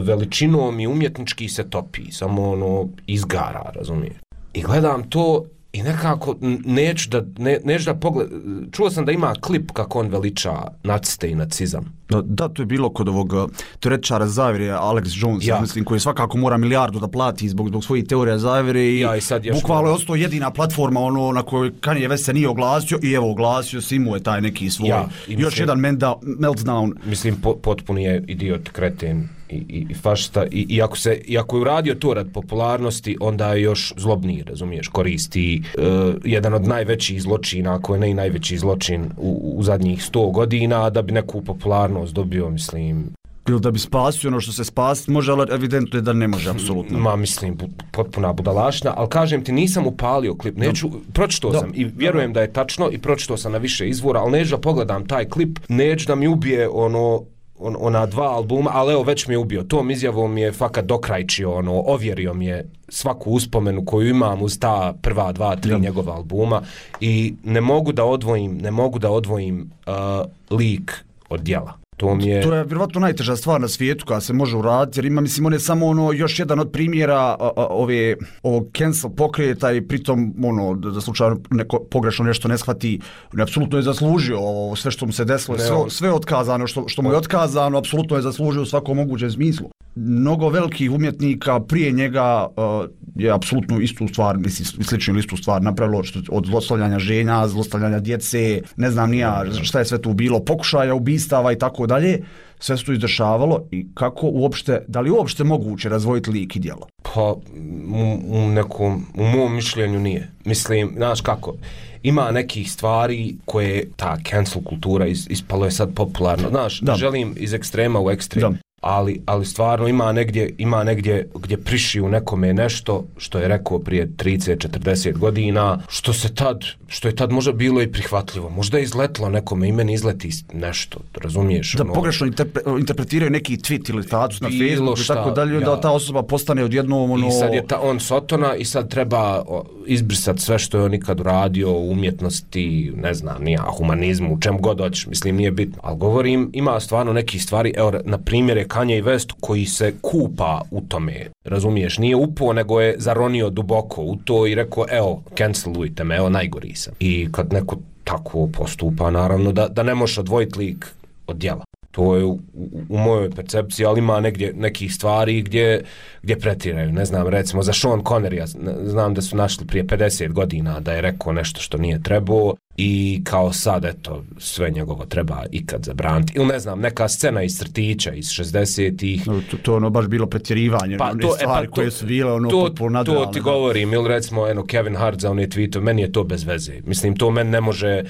[SPEAKER 7] veličinom i umjetnički se topi, samo ono, izgara, razumiješ. I gledam to i nekako neću da, ne, neću da pogled... Čuo sam da ima klip kako on veliča naciste i nacizam.
[SPEAKER 6] Da, da, to je bilo kod ovog teoretičara zavjere Alex Jones, ja. mislim, koji svakako mora milijardu da plati zbog, zbog svojih teorija zavjere i,
[SPEAKER 7] ja, i
[SPEAKER 6] bukvalno je ostao jedina platforma ono, na kojoj Kanye West se nije oglasio i evo oglasio se, imao je taj neki svoj ja, i još mislim, jedan menda, meltdown.
[SPEAKER 7] Mislim, po, potpuni je idiot, kreten i, i, i fašista i, i, ako se, i ako je uradio to rad popularnosti, onda je još zlobniji, razumiješ, koristi uh, jedan od najvećih zločina, ako je ne i najveći zločin u, u zadnjih sto godina, da bi neku popularnost dobio, mislim...
[SPEAKER 6] Ili da bi spasio ono što se spasiti može, ali evidentno je da ne može, apsolutno.
[SPEAKER 7] Ma, mislim, bu, potpuna budalašna, ali kažem ti, nisam upalio klip, neću, no. pročitao sam i vjerujem da je tačno i pročitao sam na više izvora, ali neću da pogledam taj klip, neću da mi ubije ono... On, ona dva albuma, ali evo već mi je ubio. Tom izjavom je fakat dokrajčio, ono, ovjerio mi je svaku uspomenu koju imam uz ta prva dva, tri ja. njegova albuma i ne mogu da odvojim, ne mogu da odvojim uh, lik od djela. To, mi je...
[SPEAKER 6] to je vjerovatno najteža stvar na svijetu koja se može uraditi, jer ima, mislim, on je samo ono, još jedan od primjera a, a, ove, ovog cancel pokreta i pritom, ono, da, da slučajno neko pogrešno nešto ne shvati, on apsolutno je zaslužio ovo, sve što mu se desilo, sve, sve otkazano, što, što mu je otkazano, apsolutno je zaslužio u svakom mogućem smislu. Mnogo velikih umjetnika prije njega uh, je apsolutno istu stvar, mislim, sličnu istu stvar napravilo, što, od zlostavljanja ženja, zlostavljanja djece, ne znam nija šta je sve tu bilo, pokušaja ubistava i tako dalje, sve se tu izdešavalo i kako uopšte, da li uopšte moguće razvojiti lik i djelo?
[SPEAKER 7] Pa, u, u nekom, u mom mišljenju nije. Mislim, znaš kako, ima nekih stvari koje ta cancel kultura is, ispalo je sad popularno, znaš, da. želim iz ekstrema u ekstrem. Da. Ali, ali stvarno ima negdje, ima negdje gdje priši u nekome nešto što je rekao prije trideset četrdeset godina, što se tad, što je tad možda bilo i prihvatljivo. Možda je izletlo nekome i meni izleti nešto, razumiješ?
[SPEAKER 6] Da
[SPEAKER 7] ono,
[SPEAKER 6] pogrešno interpre, interpretiraju neki tweet ili status na Facebooku i tako dalje, ja. da ta osoba postane odjednom ono...
[SPEAKER 7] I sad je ta, on sotona i sad treba izbrisati sve što je on nikad uradio u umjetnosti, ne znam, nija, humanizmu, u čem god hoćeš, mislim, nije bitno. Ali govorim, ima stvarno nekih stvari, evo, na primjer je Kanye West koji se kupa u tome, razumiješ, nije upao nego je zaronio duboko u to i rekao, evo, cancelujte me, evo, najgori sam. I kad neko tako postupa, naravno, da, da ne možeš odvojiti lik od djela. To je u, u mojoj percepciji, ali ima negdje nekih stvari gdje, gdje pretiraju. Ne znam, recimo za Sean Connerya, znam da su našli prije pedeset godina da je rekao nešto što nije trebao i kao sad, eto, sve njegovo treba ikad zabraniti. Ili ne znam, neka scena iz crtića iz šezdesetih.
[SPEAKER 6] No, to, to ono baš bilo pretjerivanje, pa, one to, stvari e, pa, koje su bile ono
[SPEAKER 7] to,
[SPEAKER 6] potpuno nadrealne.
[SPEAKER 7] To ti govorim, ili recimo eno, Kevin Hart za one tweetove, meni je to bez veze. Mislim, to meni ne može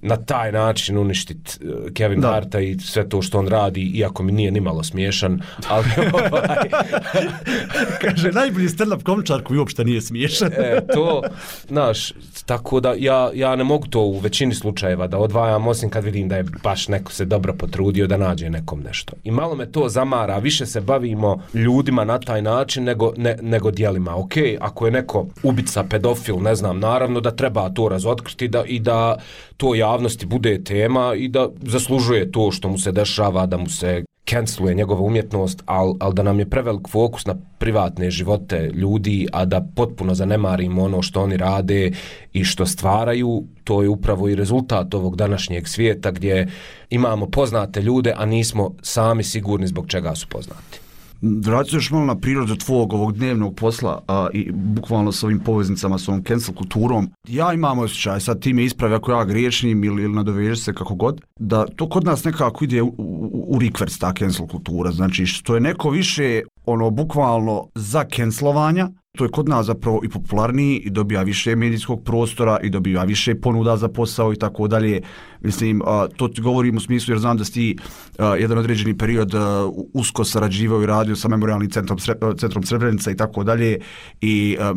[SPEAKER 7] na taj način uništiti Kevin da. Harta i sve to što on radi, iako mi nije nimalo smiješan, ali ovaj...
[SPEAKER 6] Kaže, najbolji stand-up komičar koji uopšte nije smiješan.
[SPEAKER 7] e, to, znaš, tako da ja, ja ne mogu to u većini slučajeva da odvajam, osim kad vidim da je baš neko se dobro potrudio da nađe nekom nešto. I malo me to zamara, više se bavimo ljudima na taj način nego, ne, nego dijelima. Ok, ako je neko ubica, pedofil, ne znam, naravno da treba to razotkriti da, i da to javnosti bude tema i da zaslužuje to što mu se dešava, da mu se canceluje njegova umjetnost, ali al da nam je prevelik fokus na privatne živote ljudi, a da potpuno zanemarimo ono što oni rade i što stvaraju, to je upravo i rezultat ovog današnjeg svijeta gdje imamo poznate ljude, a nismo sami sigurni zbog čega su poznati.
[SPEAKER 6] Vraću još malo na prirodu tvojeg ovog dnevnog posla a, i bukvalno s ovim poveznicama, s ovom cancel kulturom. Ja imam osjećaj, sad ti me ispravi ako ja griješnim ili, ili nadovežeš se kako god, da to kod nas nekako ide u, u, u rikverc ta cancel kultura. Znači što je neko više ono bukvalno za cancelovanja, to je kod nas zapravo i popularniji i dobija više medijskog prostora i dobija više ponuda za posao i tako dalje. Mislim, a, to ti govorim u smislu jer znam da si ti a, jedan određeni period a, usko sarađivao i radio sa memorialnim centrom, Sre, centrom Srebrenica i tako dalje i a,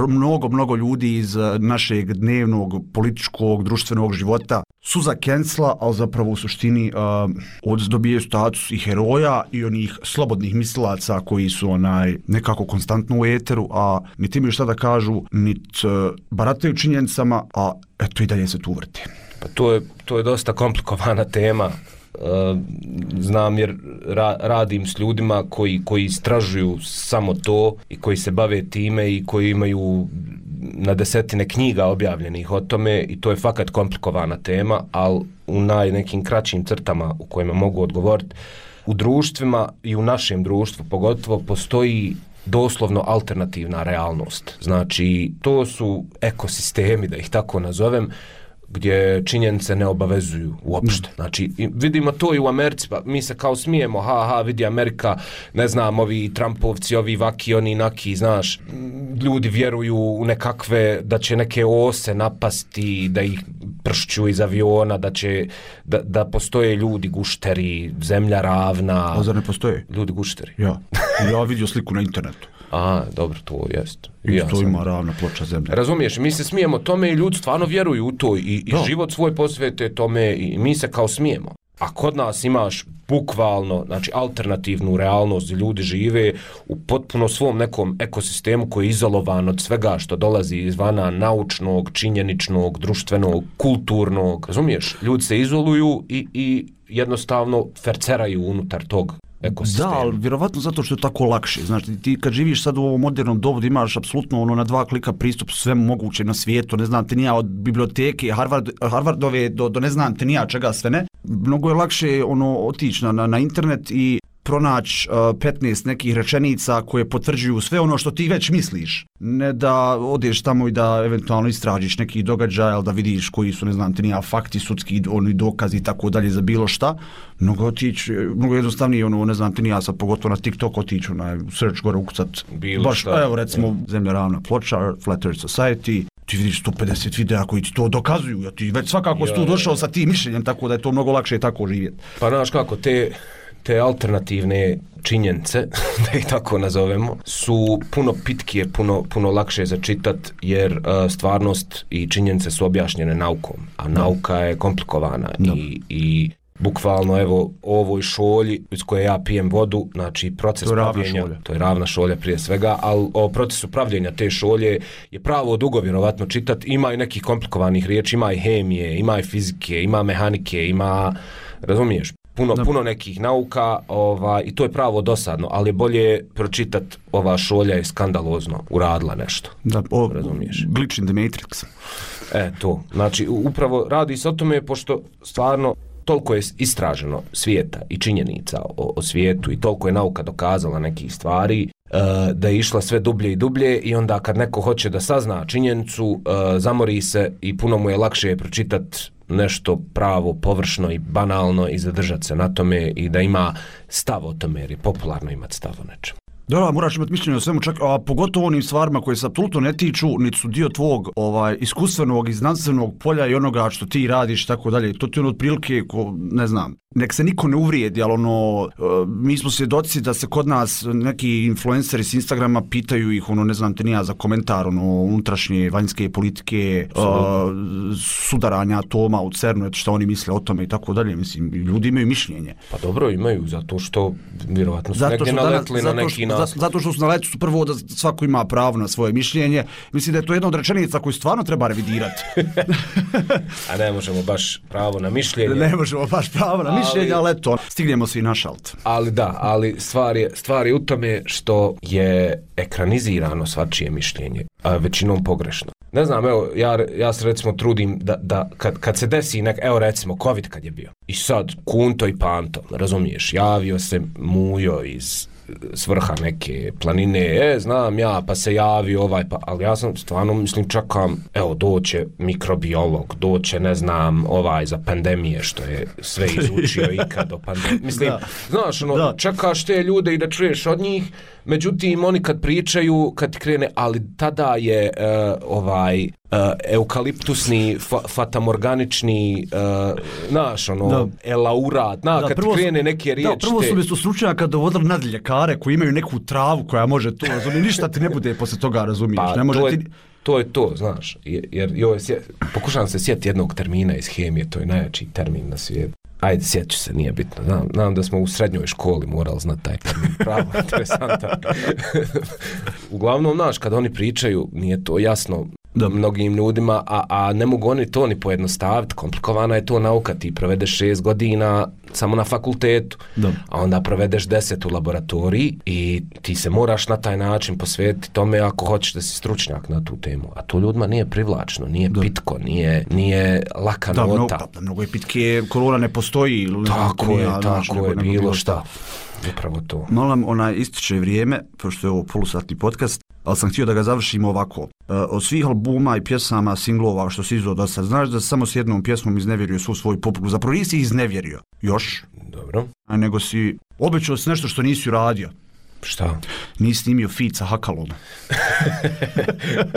[SPEAKER 6] mnogo, mnogo ljudi iz a, našeg dnevnog političkog, društvenog života su za cancela, ali zapravo u suštini a, od dobijaju status i heroja i onih slobodnih mislilaca koji su onaj nekako konstantno u eteru, a niti imaju šta da kažu, niti uh, barataju činjenicama, a eto i dalje se tu vrti.
[SPEAKER 7] Pa to je, to je dosta komplikovana tema. Uh, znam jer ra, radim s ljudima koji, koji istražuju samo to i koji se bave time i koji imaju na desetine knjiga objavljenih o tome i to je fakat komplikovana tema, ali u naj nekim kraćim crtama u kojima mogu odgovoriti, u društvima i u našem društvu pogotovo postoji doslovno alternativna realnost. Znači, to su ekosistemi, da ih tako nazovem, gdje činjenice ne obavezuju uopšte. Znači, vidimo to i u Americi, pa mi se kao smijemo, ha, ha, vidi Amerika, ne znam, ovi Trumpovci, ovi vaki, oni naki, znaš, ljudi vjeruju u nekakve, da će neke ose napasti, da ih pršću iz aviona, da će, da, da postoje ljudi gušteri, zemlja ravna.
[SPEAKER 6] A zar ne postoje?
[SPEAKER 7] Ljudi gušteri.
[SPEAKER 6] Ja, ja vidio sliku na internetu.
[SPEAKER 7] A, dobro, to jest.
[SPEAKER 6] I
[SPEAKER 7] ja
[SPEAKER 6] to
[SPEAKER 7] sam...
[SPEAKER 6] ima ravna ploča zemlje.
[SPEAKER 7] Razumiješ, mi se smijemo tome i ljudi stvarno vjeruju u to i, i život svoj posvete tome i mi se kao smijemo. A kod nas imaš bukvalno, znači, alternativnu realnost gdje ljudi žive u potpuno svom nekom ekosistemu koji je izolovan od svega što dolazi izvana, naučnog, činjeničnog, društvenog, kulturnog. Razumiješ, ljudi se izoluju i, i jednostavno ferceraju unutar tog ekosistema.
[SPEAKER 6] Da, ali vjerovatno zato što je tako lakše. Znači, ti kad živiš sad u ovom modernom dobu, imaš apsolutno ono na dva klika pristup svemu moguće na svijetu, ne znam te nija od biblioteke, Harvard, Harvardove do, do ne znam te nija čega sve ne. Mnogo je lakše ono otići na, na, na internet i pronaći uh, petnaest nekih rečenica koje potvrđuju sve ono što ti već misliš. Ne da odeš tamo i da eventualno istražiš neki događaj, ali da vidiš koji su, ne znam, te nija fakti, sudski oni dokazi i tako dalje za bilo šta. Mnogo otići, mnogo jednostavnije, ono, ne znam, te nija sad pogotovo na TikTok otići, onaj search gore ukucat.
[SPEAKER 7] Bilo
[SPEAKER 6] baš,
[SPEAKER 7] šta.
[SPEAKER 6] Evo recimo, ja. Zemlja ravna ploča, Flat Earth Society, ti vidiš sto pedeset videa koji ti to dokazuju, ja ti već svakako si tu došao sa tim mišljenjem, tako da je to mnogo lakše tako živjeti.
[SPEAKER 7] Pa znaš kako, te, te alternativne činjenice, da ih tako nazovemo, su puno pitkije, puno, puno lakše za čitat, jer uh, stvarnost i činjenice su objašnjene naukom, a nauka je komplikovana i, i bukvalno evo ovoj šolji iz koje ja pijem vodu, znači proces to pravljenja, to je ravna šolja prije svega, ali o procesu pravljenja te šolje je pravo dugo vjerovatno čitat, ima i nekih komplikovanih riječi, ima i hemije, ima i fizike, ima mehanike, ima, razumiješ, puno, puno nekih nauka, ovaj, i to je pravo dosadno, ali je bolje pročitat ova šolja je skandalozno uradila nešto.
[SPEAKER 6] Da, o, razumiješ. Glitch in the Matrix.
[SPEAKER 7] E, to. Znači, upravo radi se o tome, pošto stvarno toliko je istraženo svijeta i činjenica o, o svijetu i toliko je nauka dokazala nekih stvari uh, da je išla sve dublje i dublje i onda kad neko hoće da sazna činjenicu, uh, zamori se i puno mu je lakše pročitati nešto pravo, površno i banalno i zadržati se na tome i da ima stav o tome, jer je popularno imati stav o nečemu.
[SPEAKER 6] Da, da, moraš imati mišljenje o svemu, čak, a pogotovo onim stvarima koje se apsolutno ne tiču, niti su dio tvog ovaj, iskustvenog i znanstvenog polja i onoga što ti radiš, tako dalje. To ti ono otprilike, ko, ne znam, nek se niko ne uvrijedi, ali ono, mi smo svjedoci da se kod nas neki influenceri s Instagrama pitaju ih, ono, ne znam te nija za komentar, ono, unutrašnje, vanjske politike, uh, sudaranja atoma u CERNu, eto što oni misle o tome i tako dalje. Mislim, ljudi imaju mišljenje.
[SPEAKER 7] Pa dobro, imaju, zato što vjerovatno su negdje naletli na neki nas.
[SPEAKER 6] Zato što su na letu prvo da svako ima pravo na svoje mišljenje. Mislim da je to jedna od rečenica koju stvarno treba revidirati.
[SPEAKER 7] A ne možemo baš pravo na mišljenje.
[SPEAKER 6] Ne možemo baš pravo na mišljenje, ali eto, stignemo se i na šalt.
[SPEAKER 7] Ali da, ali stvar je, stvar je u tome što je ekranizirano svačije mišljenje, a većinom pogrešno. Ne znam, evo, ja, ja se recimo trudim da, da kad, kad se desi nek, evo recimo, COVID kad je bio. I sad, Kunto i Panto, razumiješ, javio se Mujo iz svrha neke planine, e, znam ja, pa se javi ovaj, pa, ali ja sam stvarno, mislim, čekam, evo, doće mikrobiolog, doće, ne znam, ovaj za pandemije, što je sve izučio ikad o pandemiji. Mislim, da. Znaš, ono, da. Čekaš te ljude i da čuješ od njih, međutim, oni kad pričaju, kad krene, ali tada je uh, ovaj uh, eukaliptusni, fa, fatamorganični, uh, naš, ono, da. elaurat, na, da, kad prvo, krene neke riječi.
[SPEAKER 6] Da, prvo su mjesto stručnjaka dovodili nadljekare koji imaju neku travu koja može to, razumije, ništa ti ne bude posle toga, razumiješ.
[SPEAKER 7] Pa,
[SPEAKER 6] ne može
[SPEAKER 7] to, je,
[SPEAKER 6] ti...
[SPEAKER 7] to je to, znaš, jer, jer joj, pokušavam se sjetiti jednog termina iz hemije, to je najjači termin na svijetu. Ajde, sjeću se, nije bitno. Znam, znam da smo u srednjoj školi morali znati taj termin. Pravo, interesantan. Uglavnom, znaš, kad oni pričaju, nije to jasno da. Mnogim ljudima, a, a ne mogu oni to ni pojednostaviti. Komplikovana je to nauka. Ti provedeš šest godina samo na fakultetu, da. A onda provedeš deset u laboratoriji i ti se moraš na taj način posvetiti tome ako hoćeš da si stručnjak na tu temu. A to ljudima nije privlačno, nije da. Pitko, nije, nije laka
[SPEAKER 6] da,
[SPEAKER 7] nota.
[SPEAKER 6] Mnogo, da, mnogo je pitke, korona ne postoji.
[SPEAKER 7] Tako je,
[SPEAKER 6] ja,
[SPEAKER 7] tako
[SPEAKER 6] nego,
[SPEAKER 7] je,
[SPEAKER 6] nego,
[SPEAKER 7] bilo šta. Upravo to.
[SPEAKER 6] Molim, onaj ističe vrijeme, pošto je ovo polusatni podcast, ali sam htio da ga završimo ovako. E, od svih albuma i pjesama, singlova što si izdao do sad, znaš da samo s jednom pjesmom iznevjerio svu svoju publiku. Zapravo nisi iznevjerio još.
[SPEAKER 7] Dobro.
[SPEAKER 6] A nego si obećao si nešto što nisi uradio.
[SPEAKER 7] Šta?
[SPEAKER 6] Nisi snimio feat sa Hakalom.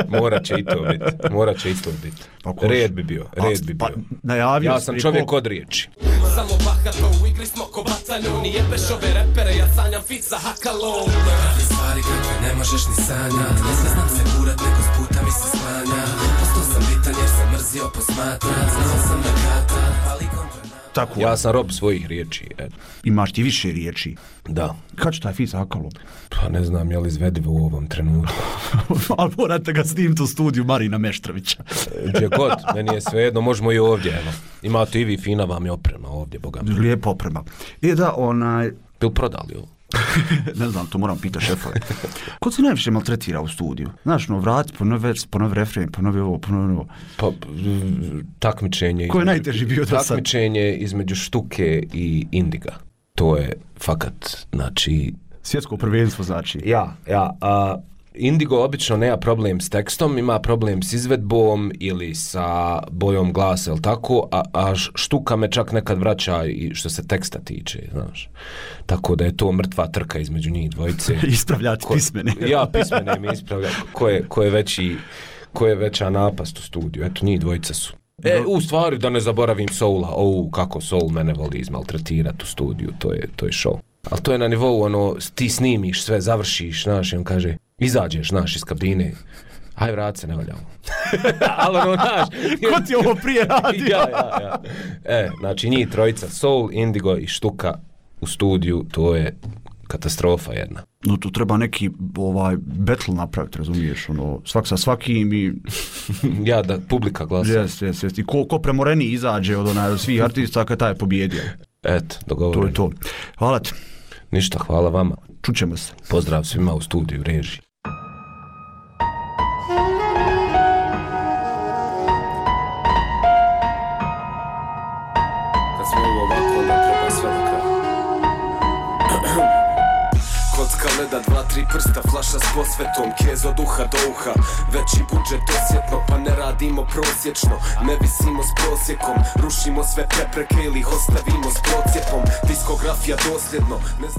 [SPEAKER 7] Morat će i to biti. Morat će i to biti. Red bi bio. Red bi bio.
[SPEAKER 6] Pa, ja
[SPEAKER 7] sam čovjek od riječi.
[SPEAKER 2] Samo bahato u igri smo ko bataljon. I jebeš ove repere, ja sanjam feat sa Hakalom. Radi stvari kakve ne možeš ni sanjat. Ne znam se kurat, neko s puta mi se sklanja. Postao sam bitan jer sam mrzio posmatrat. Znao sam da kata, ali kontra.
[SPEAKER 6] Tako.
[SPEAKER 7] Ja sam rob svojih riječi. Eto.
[SPEAKER 6] Imaš ti više riječi?
[SPEAKER 7] Da.
[SPEAKER 6] Kad će taj feat sa Hakalom?
[SPEAKER 7] Pa ne znam, je li izvedivo u ovom trenutku.
[SPEAKER 6] Ali morate ga snimiti u studiju Marina Meštrovića.
[SPEAKER 7] Gdje god, meni je svejedno, možemo i ovdje, evo. Imate i vi, fina vam je oprema ovdje, boga mi.
[SPEAKER 6] Lijepa oprema. I da, onaj...
[SPEAKER 7] Bil prodali ovo?
[SPEAKER 6] Ne znam, to moram pitati šefove. Ko se najviše maltretira u studiju? Znaš, no, vrati, ponovi već, ponovi refren, ponovi ovo, ponovi ovo.
[SPEAKER 7] Pa, takmičenje...
[SPEAKER 6] Ko je najteži bio do sad?
[SPEAKER 7] Takmičenje između Štuke i Indiga. To je fakat, znači...
[SPEAKER 6] Svjetsko prvenstvo, znači.
[SPEAKER 7] Ja, ja. A, Indigo obično nema problem s tekstom, ima problem s izvedbom ili sa bojom glasa, ili tako, a, a Štuka me čak nekad vraća i što se teksta tiče, znaš. Tako da je to mrtva trka između njih dvojice.
[SPEAKER 6] Ispravljati ko, pismene.
[SPEAKER 7] Ja, pismene mi ispravlja. Ko je, ko je veći, ko je veća napast u studiju. Eto, njih dvojica su. E, u stvari, da ne zaboravim Soula. O, kako Soul mene voli izmaltretirati u studiju, to je, to je show. Ali to je na nivou, ono, ti snimiš sve, završiš, znaš, i on kaže, izađeš, znaš, iz kabine, aj vrat se, ne valjamo. Ali ono, znaš...
[SPEAKER 6] Ko ti ovo prije radio?
[SPEAKER 7] ja, ja, ja. E, znači, njih trojica, Soul, Indigo i Štuka u studiju, to je katastrofa jedna.
[SPEAKER 6] No, tu treba neki ovaj battle napraviti, razumiješ, ono, svak sa svakim i...
[SPEAKER 7] ja, da publika glasa.
[SPEAKER 6] Jes, jes, jes. I ko, ko premoreni izađe od onaj, svih artista, kad taj je pobjedio.
[SPEAKER 7] Eto, dogovoreno.
[SPEAKER 6] To je to. Hvala ti.
[SPEAKER 7] Ništa, hvala vama.
[SPEAKER 6] Čućemo se.
[SPEAKER 7] Pozdrav svima u studiju režiji.
[SPEAKER 9] Kad smo
[SPEAKER 2] tri prsta, flaša s posvetom, kez od uha do uha. Veći budžet osjetno, pa ne radimo prosječno. Ne visimo s prosjekom, rušimo sve prepreke ili ih ostavimo s procijepom. Diskografija dosljedno.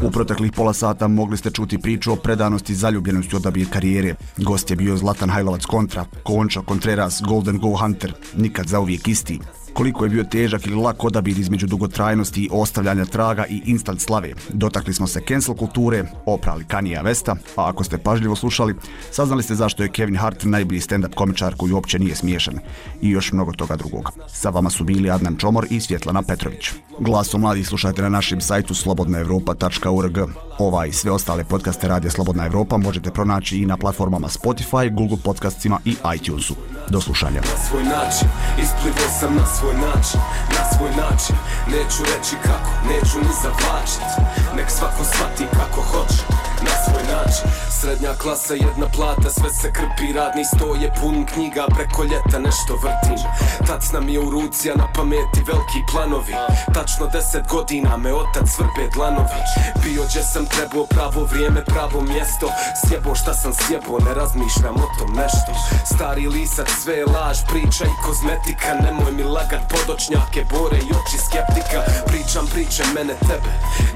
[SPEAKER 6] U proteklih pola sata mogli ste čuti priču o predanosti i zaljubljenosti odabir karijere. Gost je bio Zlatan Hajlovac kontra, Konča Contreras, Golden Go Hunter, nikad zauvijek isti. Koliko je bio težak ili lak odabir između dugotrajnosti i ostavljanja traga i instant slave. Dotakli smo se cancel kulture, oprali Kanyea Westa, a ako ste pažljivo slušali, saznali ste zašto je Kevin Hart najbolji stand-up komičar koji uopće nije smiješan. I još mnogo toga drugog. Sa vama su bili Adnan Čomor i Svjetlana Petrović. Glasom mladih slušajte na našem sajtu slobodna europa tačka org. Ova i sve ostale podcaste Radija Slobodna Evropa možete pronaći i na platformama Spotify, Google Podcastima i iTunesu. Do slušanja.
[SPEAKER 2] Na svoj način, isplivao sam na svoj način, na svoj način. Neću reći kako, neću ni zavlačit. Nek svako shvati kako hoće, na svoj način. Srednja klasa, jedna plata, sve se krpi. Radni sto je pun knjiga, preko ljeta nešto vrtim. Tac nam je u ruci, a na pameti veliki planovi. Tačno deset godina me otac vrbe dlanovi. Bio gdje sam trebao, pravo vrijeme, pravo mjesto. Sjebo šta sam sjebo, ne razmišljam o tom nešto. Stari lisac, sve je laž, priča i kozmetika. Nemoj mi lagat podočnjake, bore i oči skeptika. Pričam priče mene tebe,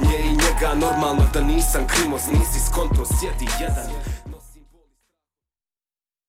[SPEAKER 2] nje i njega. Normalno da nisam krimoz, nisi skonto, sjedi jedan.